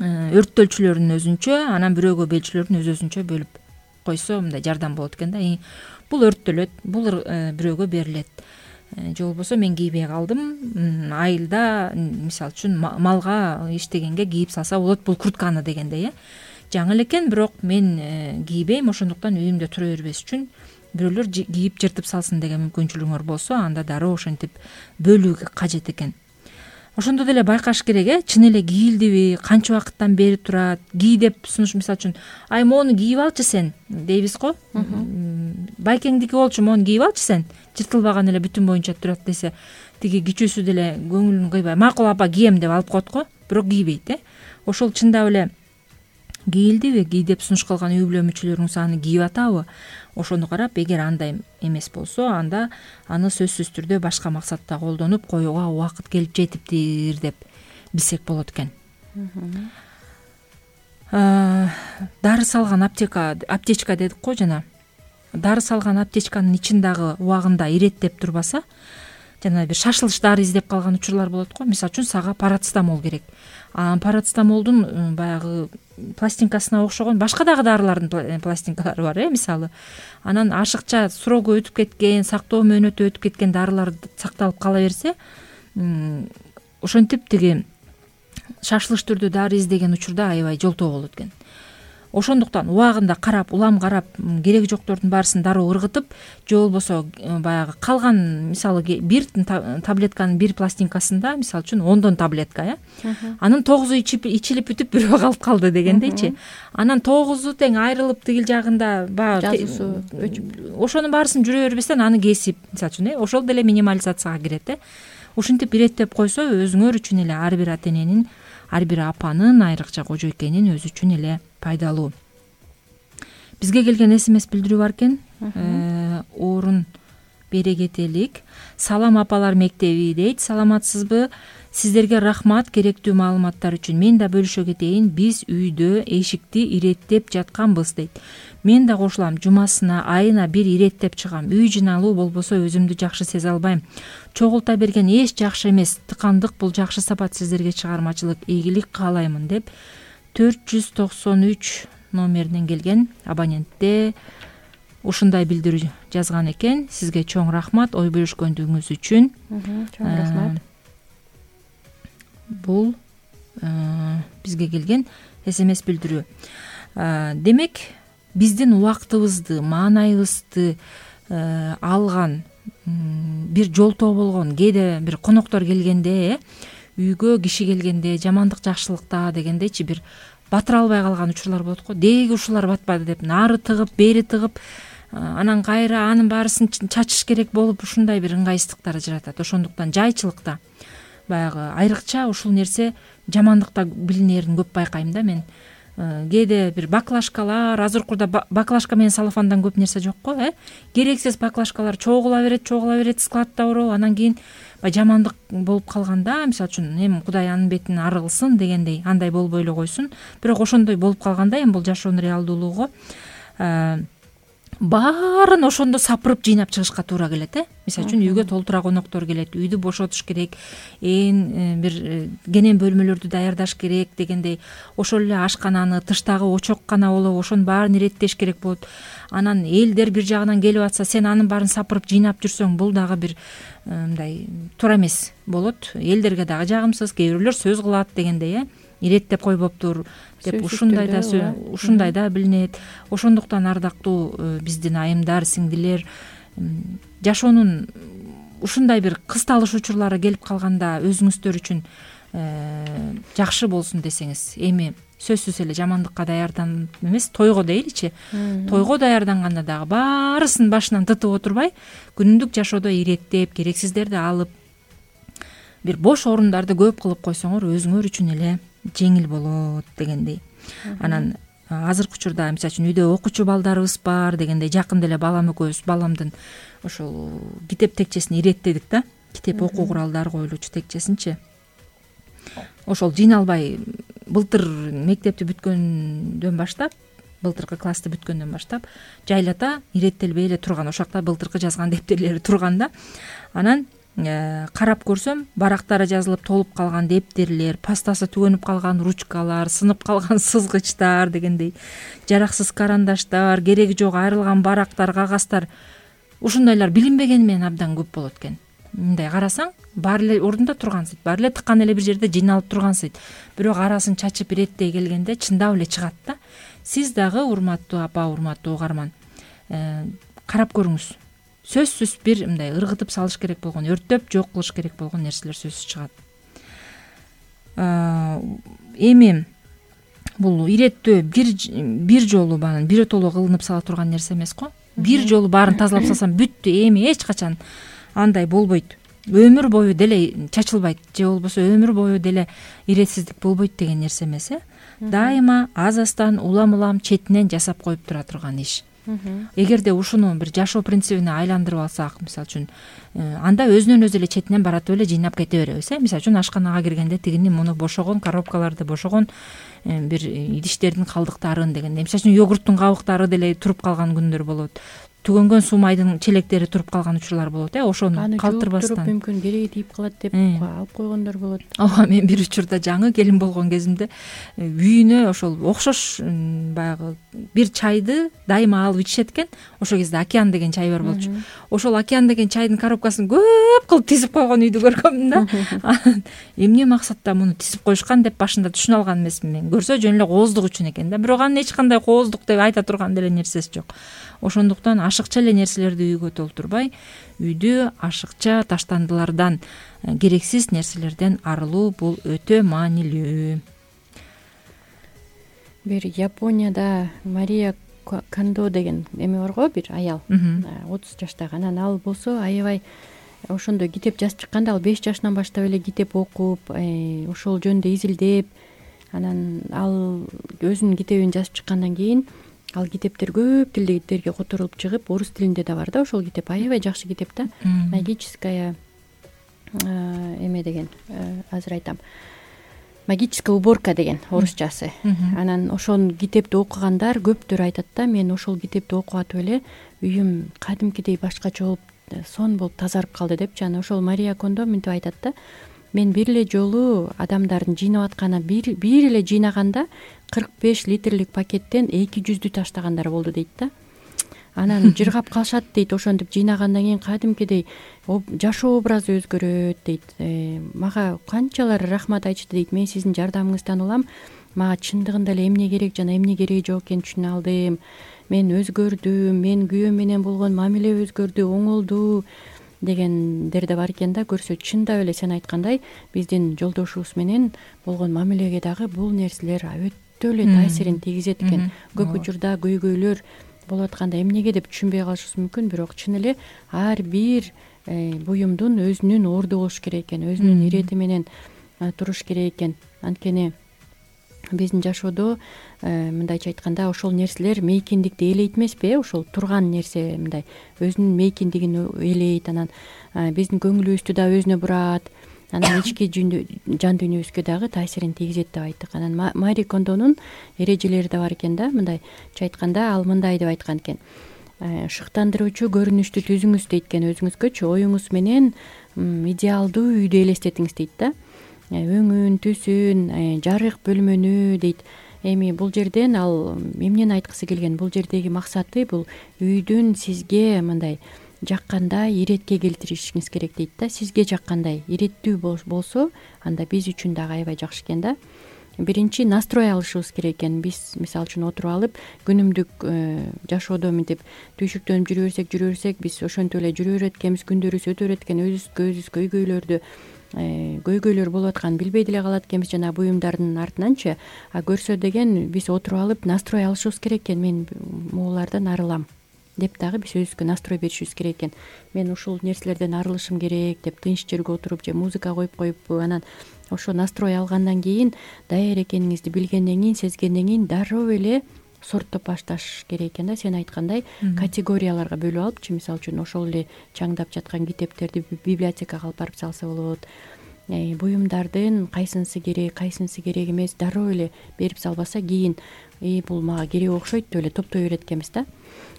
өрттөлчүлөрүн өзүнчө, анан бирөөгө белчүлөрүн өз өзүнчө бөлүп койсо мындай жардам болот экен да. Бул өрттөлөт, бул бирөөгө берилет. Же болбосо мен кийбей калдым, айылда мисалы үчүн малга иштегенге кийип салса болот бул куртканы дегендей, э жаңы элекен, бирок мен кийбейм, ошондуктан үйүмдө тура бербес үчүн бирөөлөр кийип жыртып салсын деген мүмкүнчүлүгүңөр болсо, анда дароо ошентип бөлүү кажет экен. Ошондо деле байкаш керек, э чын эле кийилдиби, канча убакыттан бери турат, кий деп сунуш, мисалы үчүн, ай моуну кийип алчы сен дейбиз го. Байкеңдики болчу, моуну кийип алчы сен, жыртылбаган эле бүтүн боюнча турат десе, тиги кичүүсү деле көңүлүн кыйбай, макул апа кийем деп алып коет го, бирок кийбейт, э ошол чындап эле кийилдиби, кий деп сунуш кылган үй бүлө мүчөлөрүңүз аны кийип атабы, ошону карап, эгер андай эмес болсо, анда аны сөзсүз түрдө башка максатта колдонуп коюуга убакыт келип жетиптир деп билсек болот экен. Дары салган аптека, аптечка дедик го жана. Дары салган аптечканын ичин дагы убагында иреттеп турбаса, жана бир шашылыш дары издеп калган учурлар болот го. Мисалы үчүн сага парацетамол керек. А парацетамолдун баягы пластинкасына окшогон башка дагы дарылардын пластинкалары бар, э мисалы. Анан ашыкча срогу өтүп кеткен, сактоо мөөнөтү өтүп кеткен дарылар сакталып кала берсе, ошентип тиги шашылыш түрдө дары издеген учурда аябай жолтоо болот экен. Ошондуктан убагында карап, улам карап, кереги жоктордун баарысын дароо ыргытып, же болбосо баягы калган, мисалы бир таблетканын бир пластинкасында, мисалы үчүн ондон таблетка, э анын тогузу ичилип бүтүп бирөө калып калды дегендейчи. Анан тогузу тең айрылып тигил жагында баягы жазуусу өчүп, ошонун баарысын жүрө бербестен аны кесип, мисалы үчүн, э ошол деле минимализацияга кирет, э ушинтип иреттеп койсо, өзүңөр үчүн эле ар бир ата эненин, ар бир апанын, айрыкча кожойкенин өзү үчүн эле пайдалуу. Бизге келген смс билдирүү бар экен. Орун бере кетелик. Салам апалар мектеби дейт. Саламатсызбы? Сиздерге рахмат керектүү маалыматтар үчүн. Мен да бөлүшө кетейин. Биз үйдө эшикти иреттеп жатканбыз дейт. Мен да кошулам. Жумасына, айына бир иреттеп чыгам. Үй жыналуу болбосо өзүмдү жакшы сезе албайм. Чогулта берген эч жакшы эмес. Тыкандык бул жакшы сапат. Сиздерге чыгармачылык, ийгилик каалаймын деп төрт жүз токсон үч номеринен келген абонентте ушундай билдирүү жазган экен. Сизге чоң рахмат ой бөлүшкөндүгүңүз үчүн. Чоң рахмат. Бул бизге келген смс билдирүү. Демек, биздин убактыбызды, маанайыбызды алган бир жолтоо болгон, кээде бир коноктор келгенде, үйгө киши келгенде, жамандык жакшылыкта дегендейчи бир батыра албай калган учурлар болот го. Деги ушулар батпады деп нары тыгып, бери тыгып, анан кайра анын баарысын чачыш керек болуп, ушундай бир ыңгайсыздыктар ажыратат. Ошондуктан жайчылыкта баягы айрыкча ушул нерсе жамандыкта билинерин көп байкайм да мен. Кээде бир баклажкалар, азыр учурда баклажка менен салофандан көп нерсе жок го, э? Керексиз баклажкалар чогула берет, чогула берет, складта ороп, анан кийин жамандык болуп калганда, мисалы үчүн эми Кудай анын бетин ары кылсын дегендей, андай болбой эле койсун. Бирок ошондой болуп калганда эми бул жашоонун реалдуулугу баарын ошондо сапырып жыйнап чыгышка туура келет, э? Мисалы үчүн үйгө толтура коноктор келет, үйдү бошотуш керек, ээн бир кенен бөлмөлөрдү даярдаш керек дегендей, ошол эле ашкананы, тыштагы очок гана болобу, ошонун баарын иреттеш керек болот. Анан элдер бир жагынан келип атса, сен анын баарын сапырып жыйнап жүрсөң, бул дагы бир мындай туура эмес болот. Элдерге дагы жагымсыз, кээ бирөөлөр сөз кылат дегендей, э? Иреттеп койбоптур деп ушундай да ушундай да билинет. Ошондуктан ардактуу биздин айымдар, сиңдилер, жашоонун ушундай бир кысталыш учурлары келип калганда өзүңүздөр үчүн жакшы болсун десеңиз, эми сөзсүз эле жамандыкка даярданып эмес, тойго дейли,чи тойго даярданганда дагы баарысын башынан тытып отурбай, күнүмдүк жашоодо иреттеп, керексиздерди алып, бир бош орундарды көп кылып койсоңор өзүңөр үчүн эле жеңил болот дегендей. Анан азыркы учурда мисалы үчүн үйдө окуучу балдарыбыз бар дегендей, жакында эле балам экөөбүз баламдын ошол китеп текчесин иреттедик да. Китеп окуу куралдары коюлуучу текчесинчи. Ошол жыйналбай былтыр мектепти бүткөндөн баштап, былтыркы классты бүткөндөн баштап жайлата иреттелбей эле турган, ошол жакта былтыркы жазган дептерлери турган да. Анан карап көрсөм, барактары жазылып толуп калган дептерлер, пастасы түгөнүп калган ручкалар, сынып калган сызгычтар дегендей, жараксыз карандаштар, кереги жок айрылган барактар, кагаздар, ушундайлар билинбегени менен абдан көп болот экен. Мындай карасаң, баары эле ордунда тургансыйт, баары эле тыккан эле бир жерде жыйналып тургансыйт. Бирок арасын чачып иреттей келгенде чындап эле чыгат да. Сиз дагы, урматтуу апа, урматтуу угарман, карап көрүңүз. Сөзсүз бир мындай ыргытып салыш керек болгон, өрттөп жок кылыш керек болгон нерселер сөзсүз чыгат. Эми бул иреттөө бир бир жолу бааны биротоло кылынып сала турган нерсе эмес го. Бир жолу баарын тазалап салсам бүттү, эми эч качан андай болбойт. Өмүр бою деле чачылбайт, же болбосо өмүр бою деле иретсиздик болбойт деген нерсе эмес, э? Дайыма аз-аздан улам-улам четинен жасап коюп тура турган иш. Эгерде ушуну бир жашоо принцибине айландырып алсак, мисалы үчүн, анда өзүнөн өзү эле четинен баратып эле жыйнап кете беребиз, э? Мисалы үчүн ашканага киргенде тигини муну бошогон коробкаларды, бошогон бир идиштердин калдыктарын дегенде, мисалы үчүн йогурттун кабыктары деле туруп калган күндөр болот. Түгөнгөн суу майдын челектери туруп калган учурлар болот, э? Ошону калтырбастан. Аны мүмкүн кереги тийип калат деп алып койгондор болот. Ооба, мен бир учурда жаңы келин болгон кезимде үйүнө ошол окшош баягы бир чайды дайыма алып ичишет экен. Ошол кезде Океан деген чай бар болчу. Ошол Океан деген чайдын коробкасын көп кылып тизип койгон үйдү көргөмүн да. Эмне максатта муну тизип коюшкан деп башында түшүнө алган эмесмин мен. Көрсө жөн эле кооздук үчүн экен да. Бирок анын эч кандай кооздук деп айта турган деле нерсеси жок. Ошондуктан ашыкча эле нерселерди үйгө толтурбай, үйдү ашыкча таштандылардан, керексиз нерселерден арылуу бул өтө маанилүү. Бир Японияда Мария Кондо деген эме бар го, бир аял, отуз жаштагы. Анан ал болсо аябай ошондой китеп жазып чыкканда, ал беш жашынан баштап эле китеп окуп, ошол жөнүндө изилдеп, анан ал өзүнүн китебин жазып чыккандан кийин ал китептер көп тилдерге которулуп чыгып, орус тилинде да бар да ошол китеп. Аябай жакшы китеп да. Магическая эме деген, азыр айтам. Магическая уборка деген орусчасы. Анан ошол китепти окугандар көптөр айтат да, мен ошол китепти окуп атып эле үйүм кадимкидей башкача болуп, сон болуп тазарып калды депчи. Анан ошол Мария Кондо мынтип айтат да, мен бир эле жолу адамдардын жыйнап атканына бир бир эле жыйнаганда кырк беш литрлик пакеттен эки жүздү таштагандар болду дейт да. Анан жыргап калышат дейт, ошентип жыйнагандан кийин кадимкидей жашоо образы өзгөрөт дейт. Мага канчалар рахмат айтышты дейт. Мен сиздин жардамыңыздан улам, мага чындыгында эле эмне керек жана эмне кереги жок экенин түшүнө алдым мен өзгөрдүм, мен күйөөм менен болгон мамиле өзгөрдү, оңолду дегендер да бар экен да. Көрсө чындап эле сен айткандай биздин жолдошубуз менен болгон мамилеге дагы бул нерселер өтө эле таасирин тийгизет экен. Көп учурда көйгөйлөр болуп атканда эмнеге деп түшүнбөй калышыбыз мүмкүн, бирок чын эле ар бир буюмдун өзүнүн орду болуш керек экен, өзүнүн ирети менен туруш керек экен. Анткени биздин жашоодо мындайча айтканда ошол нерселер мейкиндикти ээлейт эмеспи э ошол турган нерсе мындай өзүнүн мейкиндигин ээлейт, анан биздин көңүлүбүздү да өзүнө бурат, анан ички жан дүйнөбүзгө дагы таасирин тийгизет деп айттык. Анан Мари Кондонун эрежелери да бар экен да. Мындайча айтканда ал мындай деп айткан экен: шыктандыруучу көрүнүштү түзүңүз дейт экен өзүңүзгөчү, оюңуз менен идеалдуу үйдү элестетиңиз дейт да. Өңүн, түсүн, жарык бөлмөнү дейт. Эми бул жерден ал эмнени айткысы келген? Бул жердеги максаты бул үйдүн сизге мындай жаккандай иретке келтиришиңиз керек дейт да. Сизге жаккандай иреттүү болсо, анда биз үчүн дагы аябай жакшы экен да. Биринчи настрой алышыбыз керек экен. Биз мисалы үчүн отуруп алып күнүмдүк жашоодо мынтип түйшүктөнүп жүрө берсек, жүрө берсек, биз ошентип эле жүрө берет экенбиз, күндөрүбүз өтө берет экен, өзүбүзгө өзүбүз көйгөйлөрдү көйгөйлөр болуп атканын билбей деле калат экенбиз жана буюмдардын артынанчы. А көрсө деген биз отуруп алып настрой алышыбыз керек экен. Мен могулардан арылам деп дагы биз өзүбүзгө настрой беришибиз керек экен. Мен ушул нерселерден арылышым керек деп тынч жерге отуруп же музыка коюп коюп анан ошо настрой алгандан кийин, даяр экениңизди билгенден кийин, сезгенден кийин дароо эле сорттоп башташ керек экен да. Сен айткандай категорияларга бөлүп алыпчы, мисалы үчүн ошол эле чаңдап жаткан китептерди библиотекага алып барып салса болот. Буюмдардын кайсынысы керек, кайсынысы керек эмес дароо эле берип салбаса кийин и бул мага керек окшойт деп эле топтой берет экенбиз да.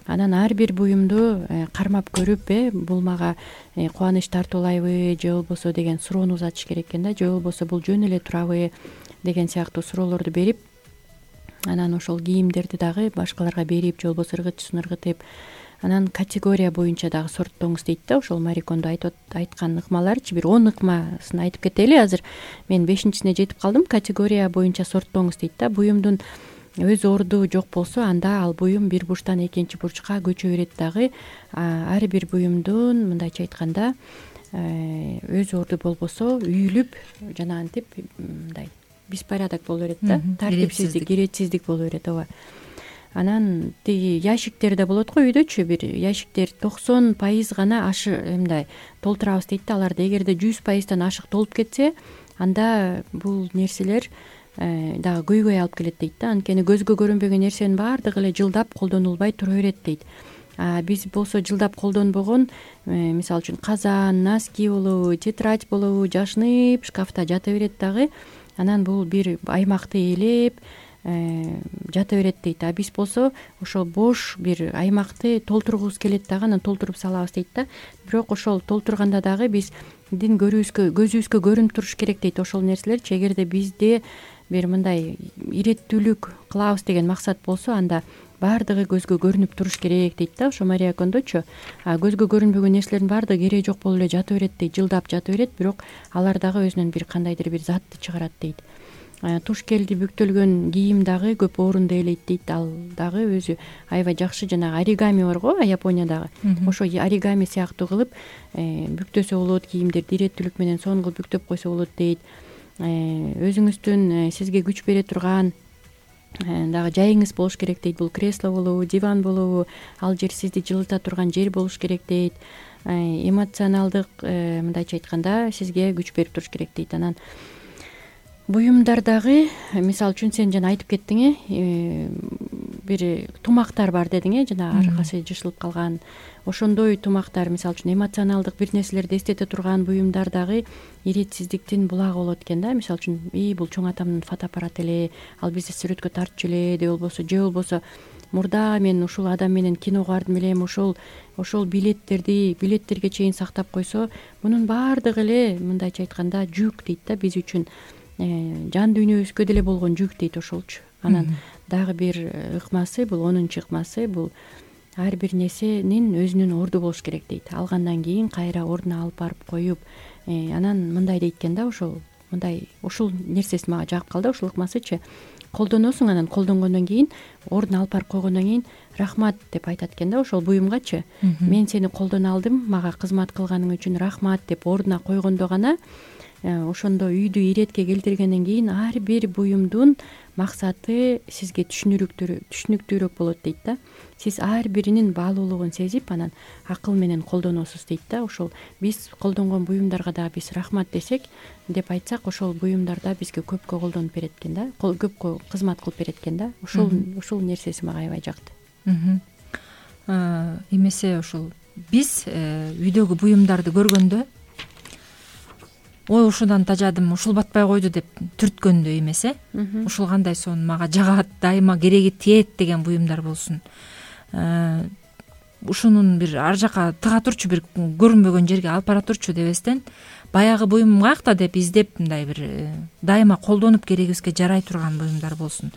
Анан ар бир буюмду кармап көрүп, э бул мага кубаныч тартуулайбы же болбосо деген суроону узатыш керек экен да. Же болбосо бул жөн эле турабы деген сыяктуу суроолорду берип, анан ошол кийимдерди дагы башкаларга берип, же болбосо ыргытчысын ыргытып, анан категория боюнча дагы сорттоңуз дейт да. Ошол Мари Кондо айткан ыкмаларчы бир он ыкмасын айтып кетели. Азыр мен бешинчисине жетип калдым. Категория боюнча сорттоңуз дейт да. Буюмдун өз орду жок болсо, анда ал буюм бир бурчтан экинчи бурчка көчө берет дагы. Ар бир буюмдун мындайча айтканда өз орду болбосо үйүлүп жанагынтип мындай беспорядок боло берет да. Тартипсиздик, иретсиздик боло берет. ооба. Анан тиги ящиктер да болот го үйдөчү. Бир ящиктер токсон пайыз гана ашы мындай толтурабыз дейт да. Аларды эгерде жүз пайыздан ашык толуп кетсе, анда бул нерселер дагы көйгөй алып келет дейт да. Анткени көзгө көрүнбөгөн нерсенин баардыгы эле жылдап колдонулбай тура берет дейт. А биз болсо жылдап колдонбогон, мисалы үчүн казан, носки болобу, тетрадь болобу жашынып шкафта жата берет дагы. Анан бул бир аймакты ээлеп жата берет дейт. А биз болсо ошол бош бир аймакты толтургубуз келет дагы, анан толтуруп салабыз дейт да. Бирок ошол толтурганда дагы биздин көрүүбүзгө, көзүбүзгө көрүнүп туруш керек дейт ошол нерселерчи. Эгерде бизде бир мындай иреттүүлүк кылабыз деген максат болсо, анда баардыгы көзгө көрүнүп туруш керек дейт да. Ошо Мари Кондочу көзгө көрүнбөгөн нерселердин баардыгы кереги жок болуп эле жата берет дейт, жылдап жата берет, бирок алар дагы өзүнөн бир кандайдыр бир затты чыгарат дейт. Туш келди бүктөлгөн кийим дагы көп орунду ээлейт дейт. Ал дагы өзү аябай жакшы. Жанагы оригами бар го Япониядагы. Ошо оригами сыяктуу кылып бүктөсө болот, кийимдерди иреттүүлүк менен сонун кылып бүктөп койсо болот дейт. Өзүңүздүн сизге күч бере турган дагы жайыңыз болуш керек дейт. Бул кресло болобу, диван болобу, ал жер сизди жылыта турган жер болуш керек дейт. Эмоционалдык мындайча айтканда сизге күч берип туруш керек дейт. Анан буюмдардагы мисалы үчүн сен жана айтып кеттиң, э бир тумактар бар дедиң, э жана аркасы жышылып калган. Ошондой тумактар, мисалы үчүн эмоционалдык бир нерселерди эстете турган буюмдар дагы иретсиздиктин булагы болот экен да. Мисалы үчүн и бул чоң атамдын фотоаппараты эле, ал бизди сүрөткө тартчу эле, же болбосо же болбосо мурда мен ушул адам менен киного бардым элем, ошол ошол билеттерди билеттерге чейин сактап койсо, мунун баардыгы эле мындайча айтканда жүк дейт да, биз үчүн жан дүйнөбүзгө деле болгон жүк дейт ошолчу. Анан дагы бир ыкмасы, бул онунчу ыкмасы, бул ар бир нерсенин өзүнүн орду болуш керек дейт. Алгандан кийин кайра ордуна алып барып коюп, анан мындай дейт экен да, ошол мындай ушул нерсеси мага жагып калды, ушул ыкмасычы. колдоносуң, анан колдонгондон кийин ордуна алып барып койгондон кийин рахмат деп айтат экен да ошол буюмгачы. Мен сени колдоно алдым, мага кызмат кылганың үчүн рахмат деп ордуна койгондо гана ошондо үйдү иретке келтиргенден кийин ар бир буюмдун максаты сизге түшүнүктүүрөөк болот дейт да. Сиз ар биринин баалуулугун сезип анан акыл менен колдоносуз дейт да. Ошол биз колдонгон буюмдарга дагы биз рахмат десек деп айтсак, ошол буюмдар да бизге көпкө колдонуп берет экен да, көпкө кызмат кылып берет экен да. Ошол ушул нерсеси мага аябай жакты. Эмесе ошол биз үйдөгү буюмдарды көргөндө ой ушудан тажадым, ушул батпай койду деп түрткөндө эмес э ушул кандай сонун мага жагат, дайыма кереги тиет деген буюмдар болсун. Ушунун бир ар жака тыга турчу, бир көрүнбөгөн жерге алып бара турчу дебестен баягы буюм каякта деп издеп мындай бир дайыма колдонуп керегибизге жарай турган буюмдар болсун.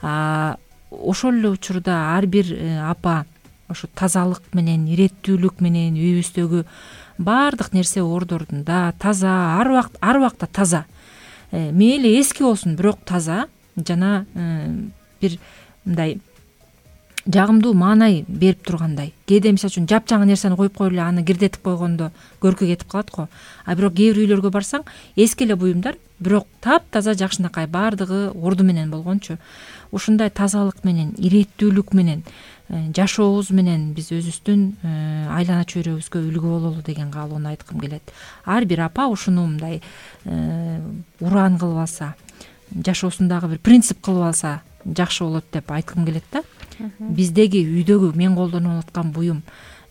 Ошол эле учурда ар бир апа ошо тазалык менен, иреттүүлүк менен үйүбүздөгү баардык нерсе ордорунда, таза, ар убакт ар убакта таза. Мейли эски болсун, бирок таза жана бир мындай жагымдуу маанай берип тургандай. Кээде мисалы үчүн жапжаңы нерсени коюп коюп эле аны кирдетип койгондо көркү кетип калат го. А бирок кээ бир үйлөргө барсаң, эски эле буюмдар, бирок таптаза жакшынакай баардыгы орду менен болгончу. Ушундай тазалык менен, иреттүүлүк менен жашообуз менен биз өзүбүздүн айлана чөйрөбүзгө үлгү бололу деген каалоону айткым келет. Ар бир апа ушуну мындай ураан кылып алса, жашоосундагы бир принцип кылып алса жакшы болот деп айткым келет да. Биздеги үйдөгү мен колдонуп аткан буюм,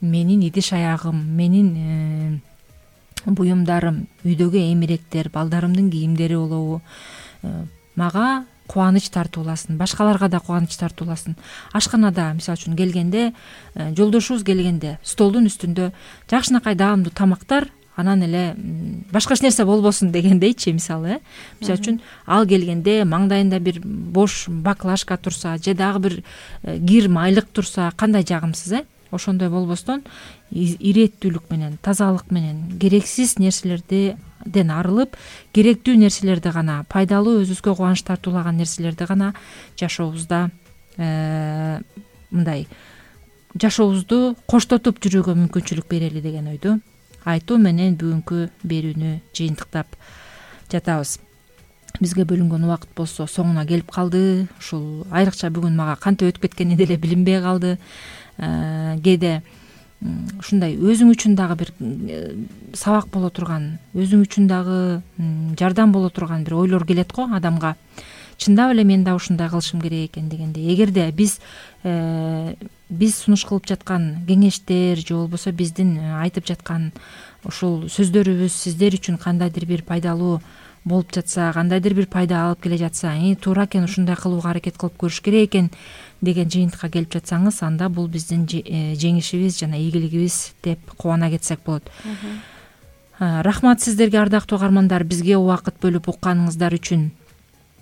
менин идиш аягым, менин буюмдарым, үйдөгү эмеректер, балдарымдын кийимдери болобу, мага кубаныч тартууласын, башкаларга да кубаныч тартууласын. Ашканада мисалы үчүн келгенде, жолдошубуз келгенде столдун үстүндө жакшынакай даамдуу тамактар, анан эле башка эч нерсе болбосун дегендейчи, мисалы, э. Мисалы үчүн ал келгенде маңдайында бир бош баклажка турса, же дагы бир кир майлык турса, кандай жагымсыз, э. Ошондой болбостон иреттүүлүк менен, тазалык менен, керексиз нерселерден арылып, керектүү нерселерди гана, пайдалуу, өзүбүзгө кубаныч тартуулаган нерселерди гана жашообузда мындай жашообузду коштотуп жүрүүгө мүмкүнчүлүк берели деген ойду айтуу менен бүгүнкү берүүнү жыйынтыктап жатабыз. Бизге бөлүнгөн убакыт болсо соңуна келип калды. Ушул айрыкча бүгүн мага кантип өтүп кеткени деле билинбей калды. Кээде ушундай өзүң үчүн дагы бир сабак боло турган, өзүң үчүн дагы жардам боло турган бир ойлор келет го адамга. Чындап эле мен да ушундай кылышым керек экен дегенде, эгерде биз биз сунуш кылып жаткан кеңештер же болбосо биздин айтып жаткан ушул сөздөрүбүз сиздер үчүн кандайдыр бир пайдалуу болуп жатса, кандайдыр бир пайда алып келе жатса, туура экен, ушундай кылууга аракет кылып көрүш керек экен деген жыйынтыкка келип жатсаңыз, анда бул биздин жеңишибиз жана ийгилигибиз деп кубана кетсек болот. Рахмат сиздерге, ардактуу угармандар, бизге убакыт бөлүп укканыңыздар үчүн.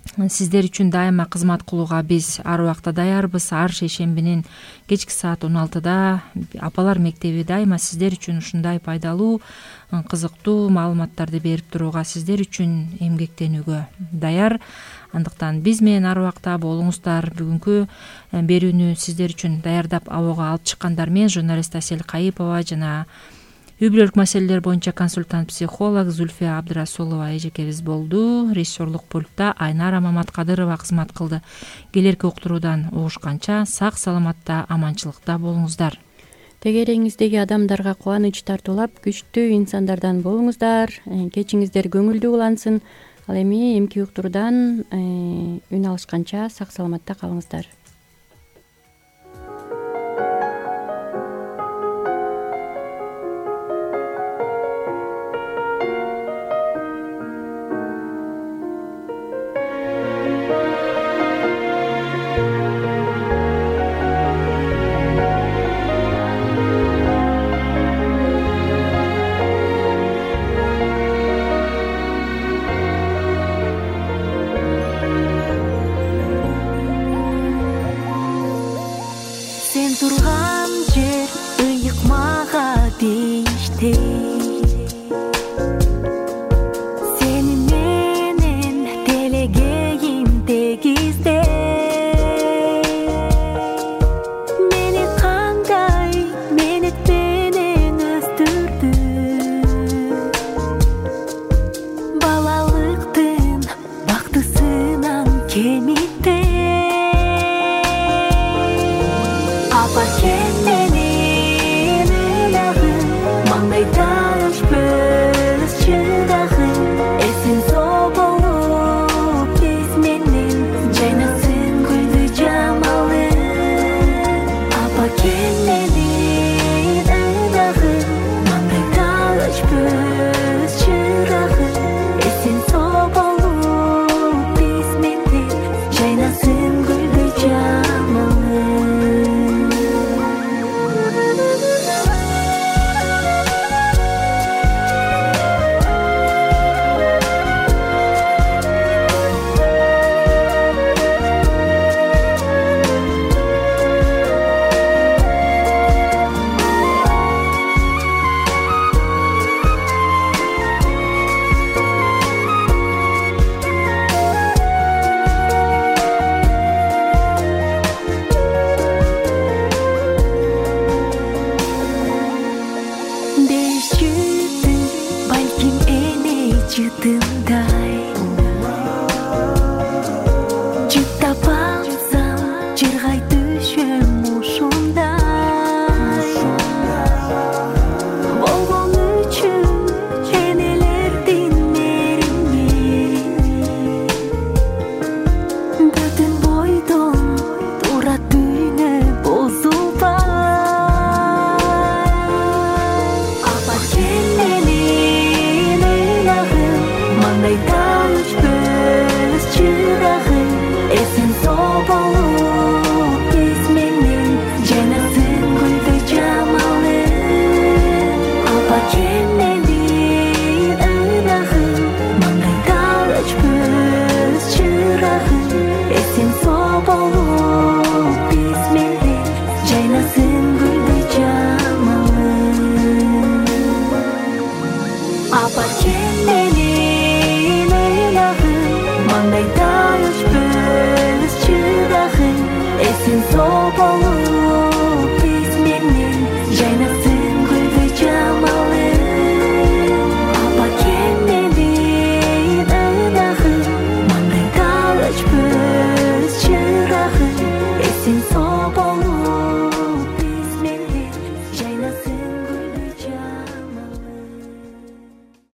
Сиздер үчүн дайыма кызмат кылууга биз ар убакта даярбыз. Ар шейшембинин кечки саат он алтыда Апалар мектеби дайыма сиздер үчүн ушундай пайдалуу, кызыктуу маалыматтарды берип турууга, сиздер үчүн эмгектенүүгө даяр. Андыктан биз менен ар убакта болуңуздар. Бүгүнкү берүүнү сиздер үчүн даярдап абага алып чыккандар мен журналист Асель Кайыпова жана үй бүлөлүк маселелер боюнча консультант-психолог Зульфия Абдрасулова эжекебиз болду. Режиссерлук пультта Айнара Маматкадырова кызмат кылды. Келерки уктуруудан угушканча сак саламатта, аманчылыкта болуңуздар. Тегереңиздеги адамдарга кубаныч тартуулап, күчтүү инсандардан болуңуздар. Кечиңиздер көңүлдүү улансын. Ал эми эмки уктуруудан үн алышканча сак саламатта калыңыздар. Турган жер ыйык мага дейишти.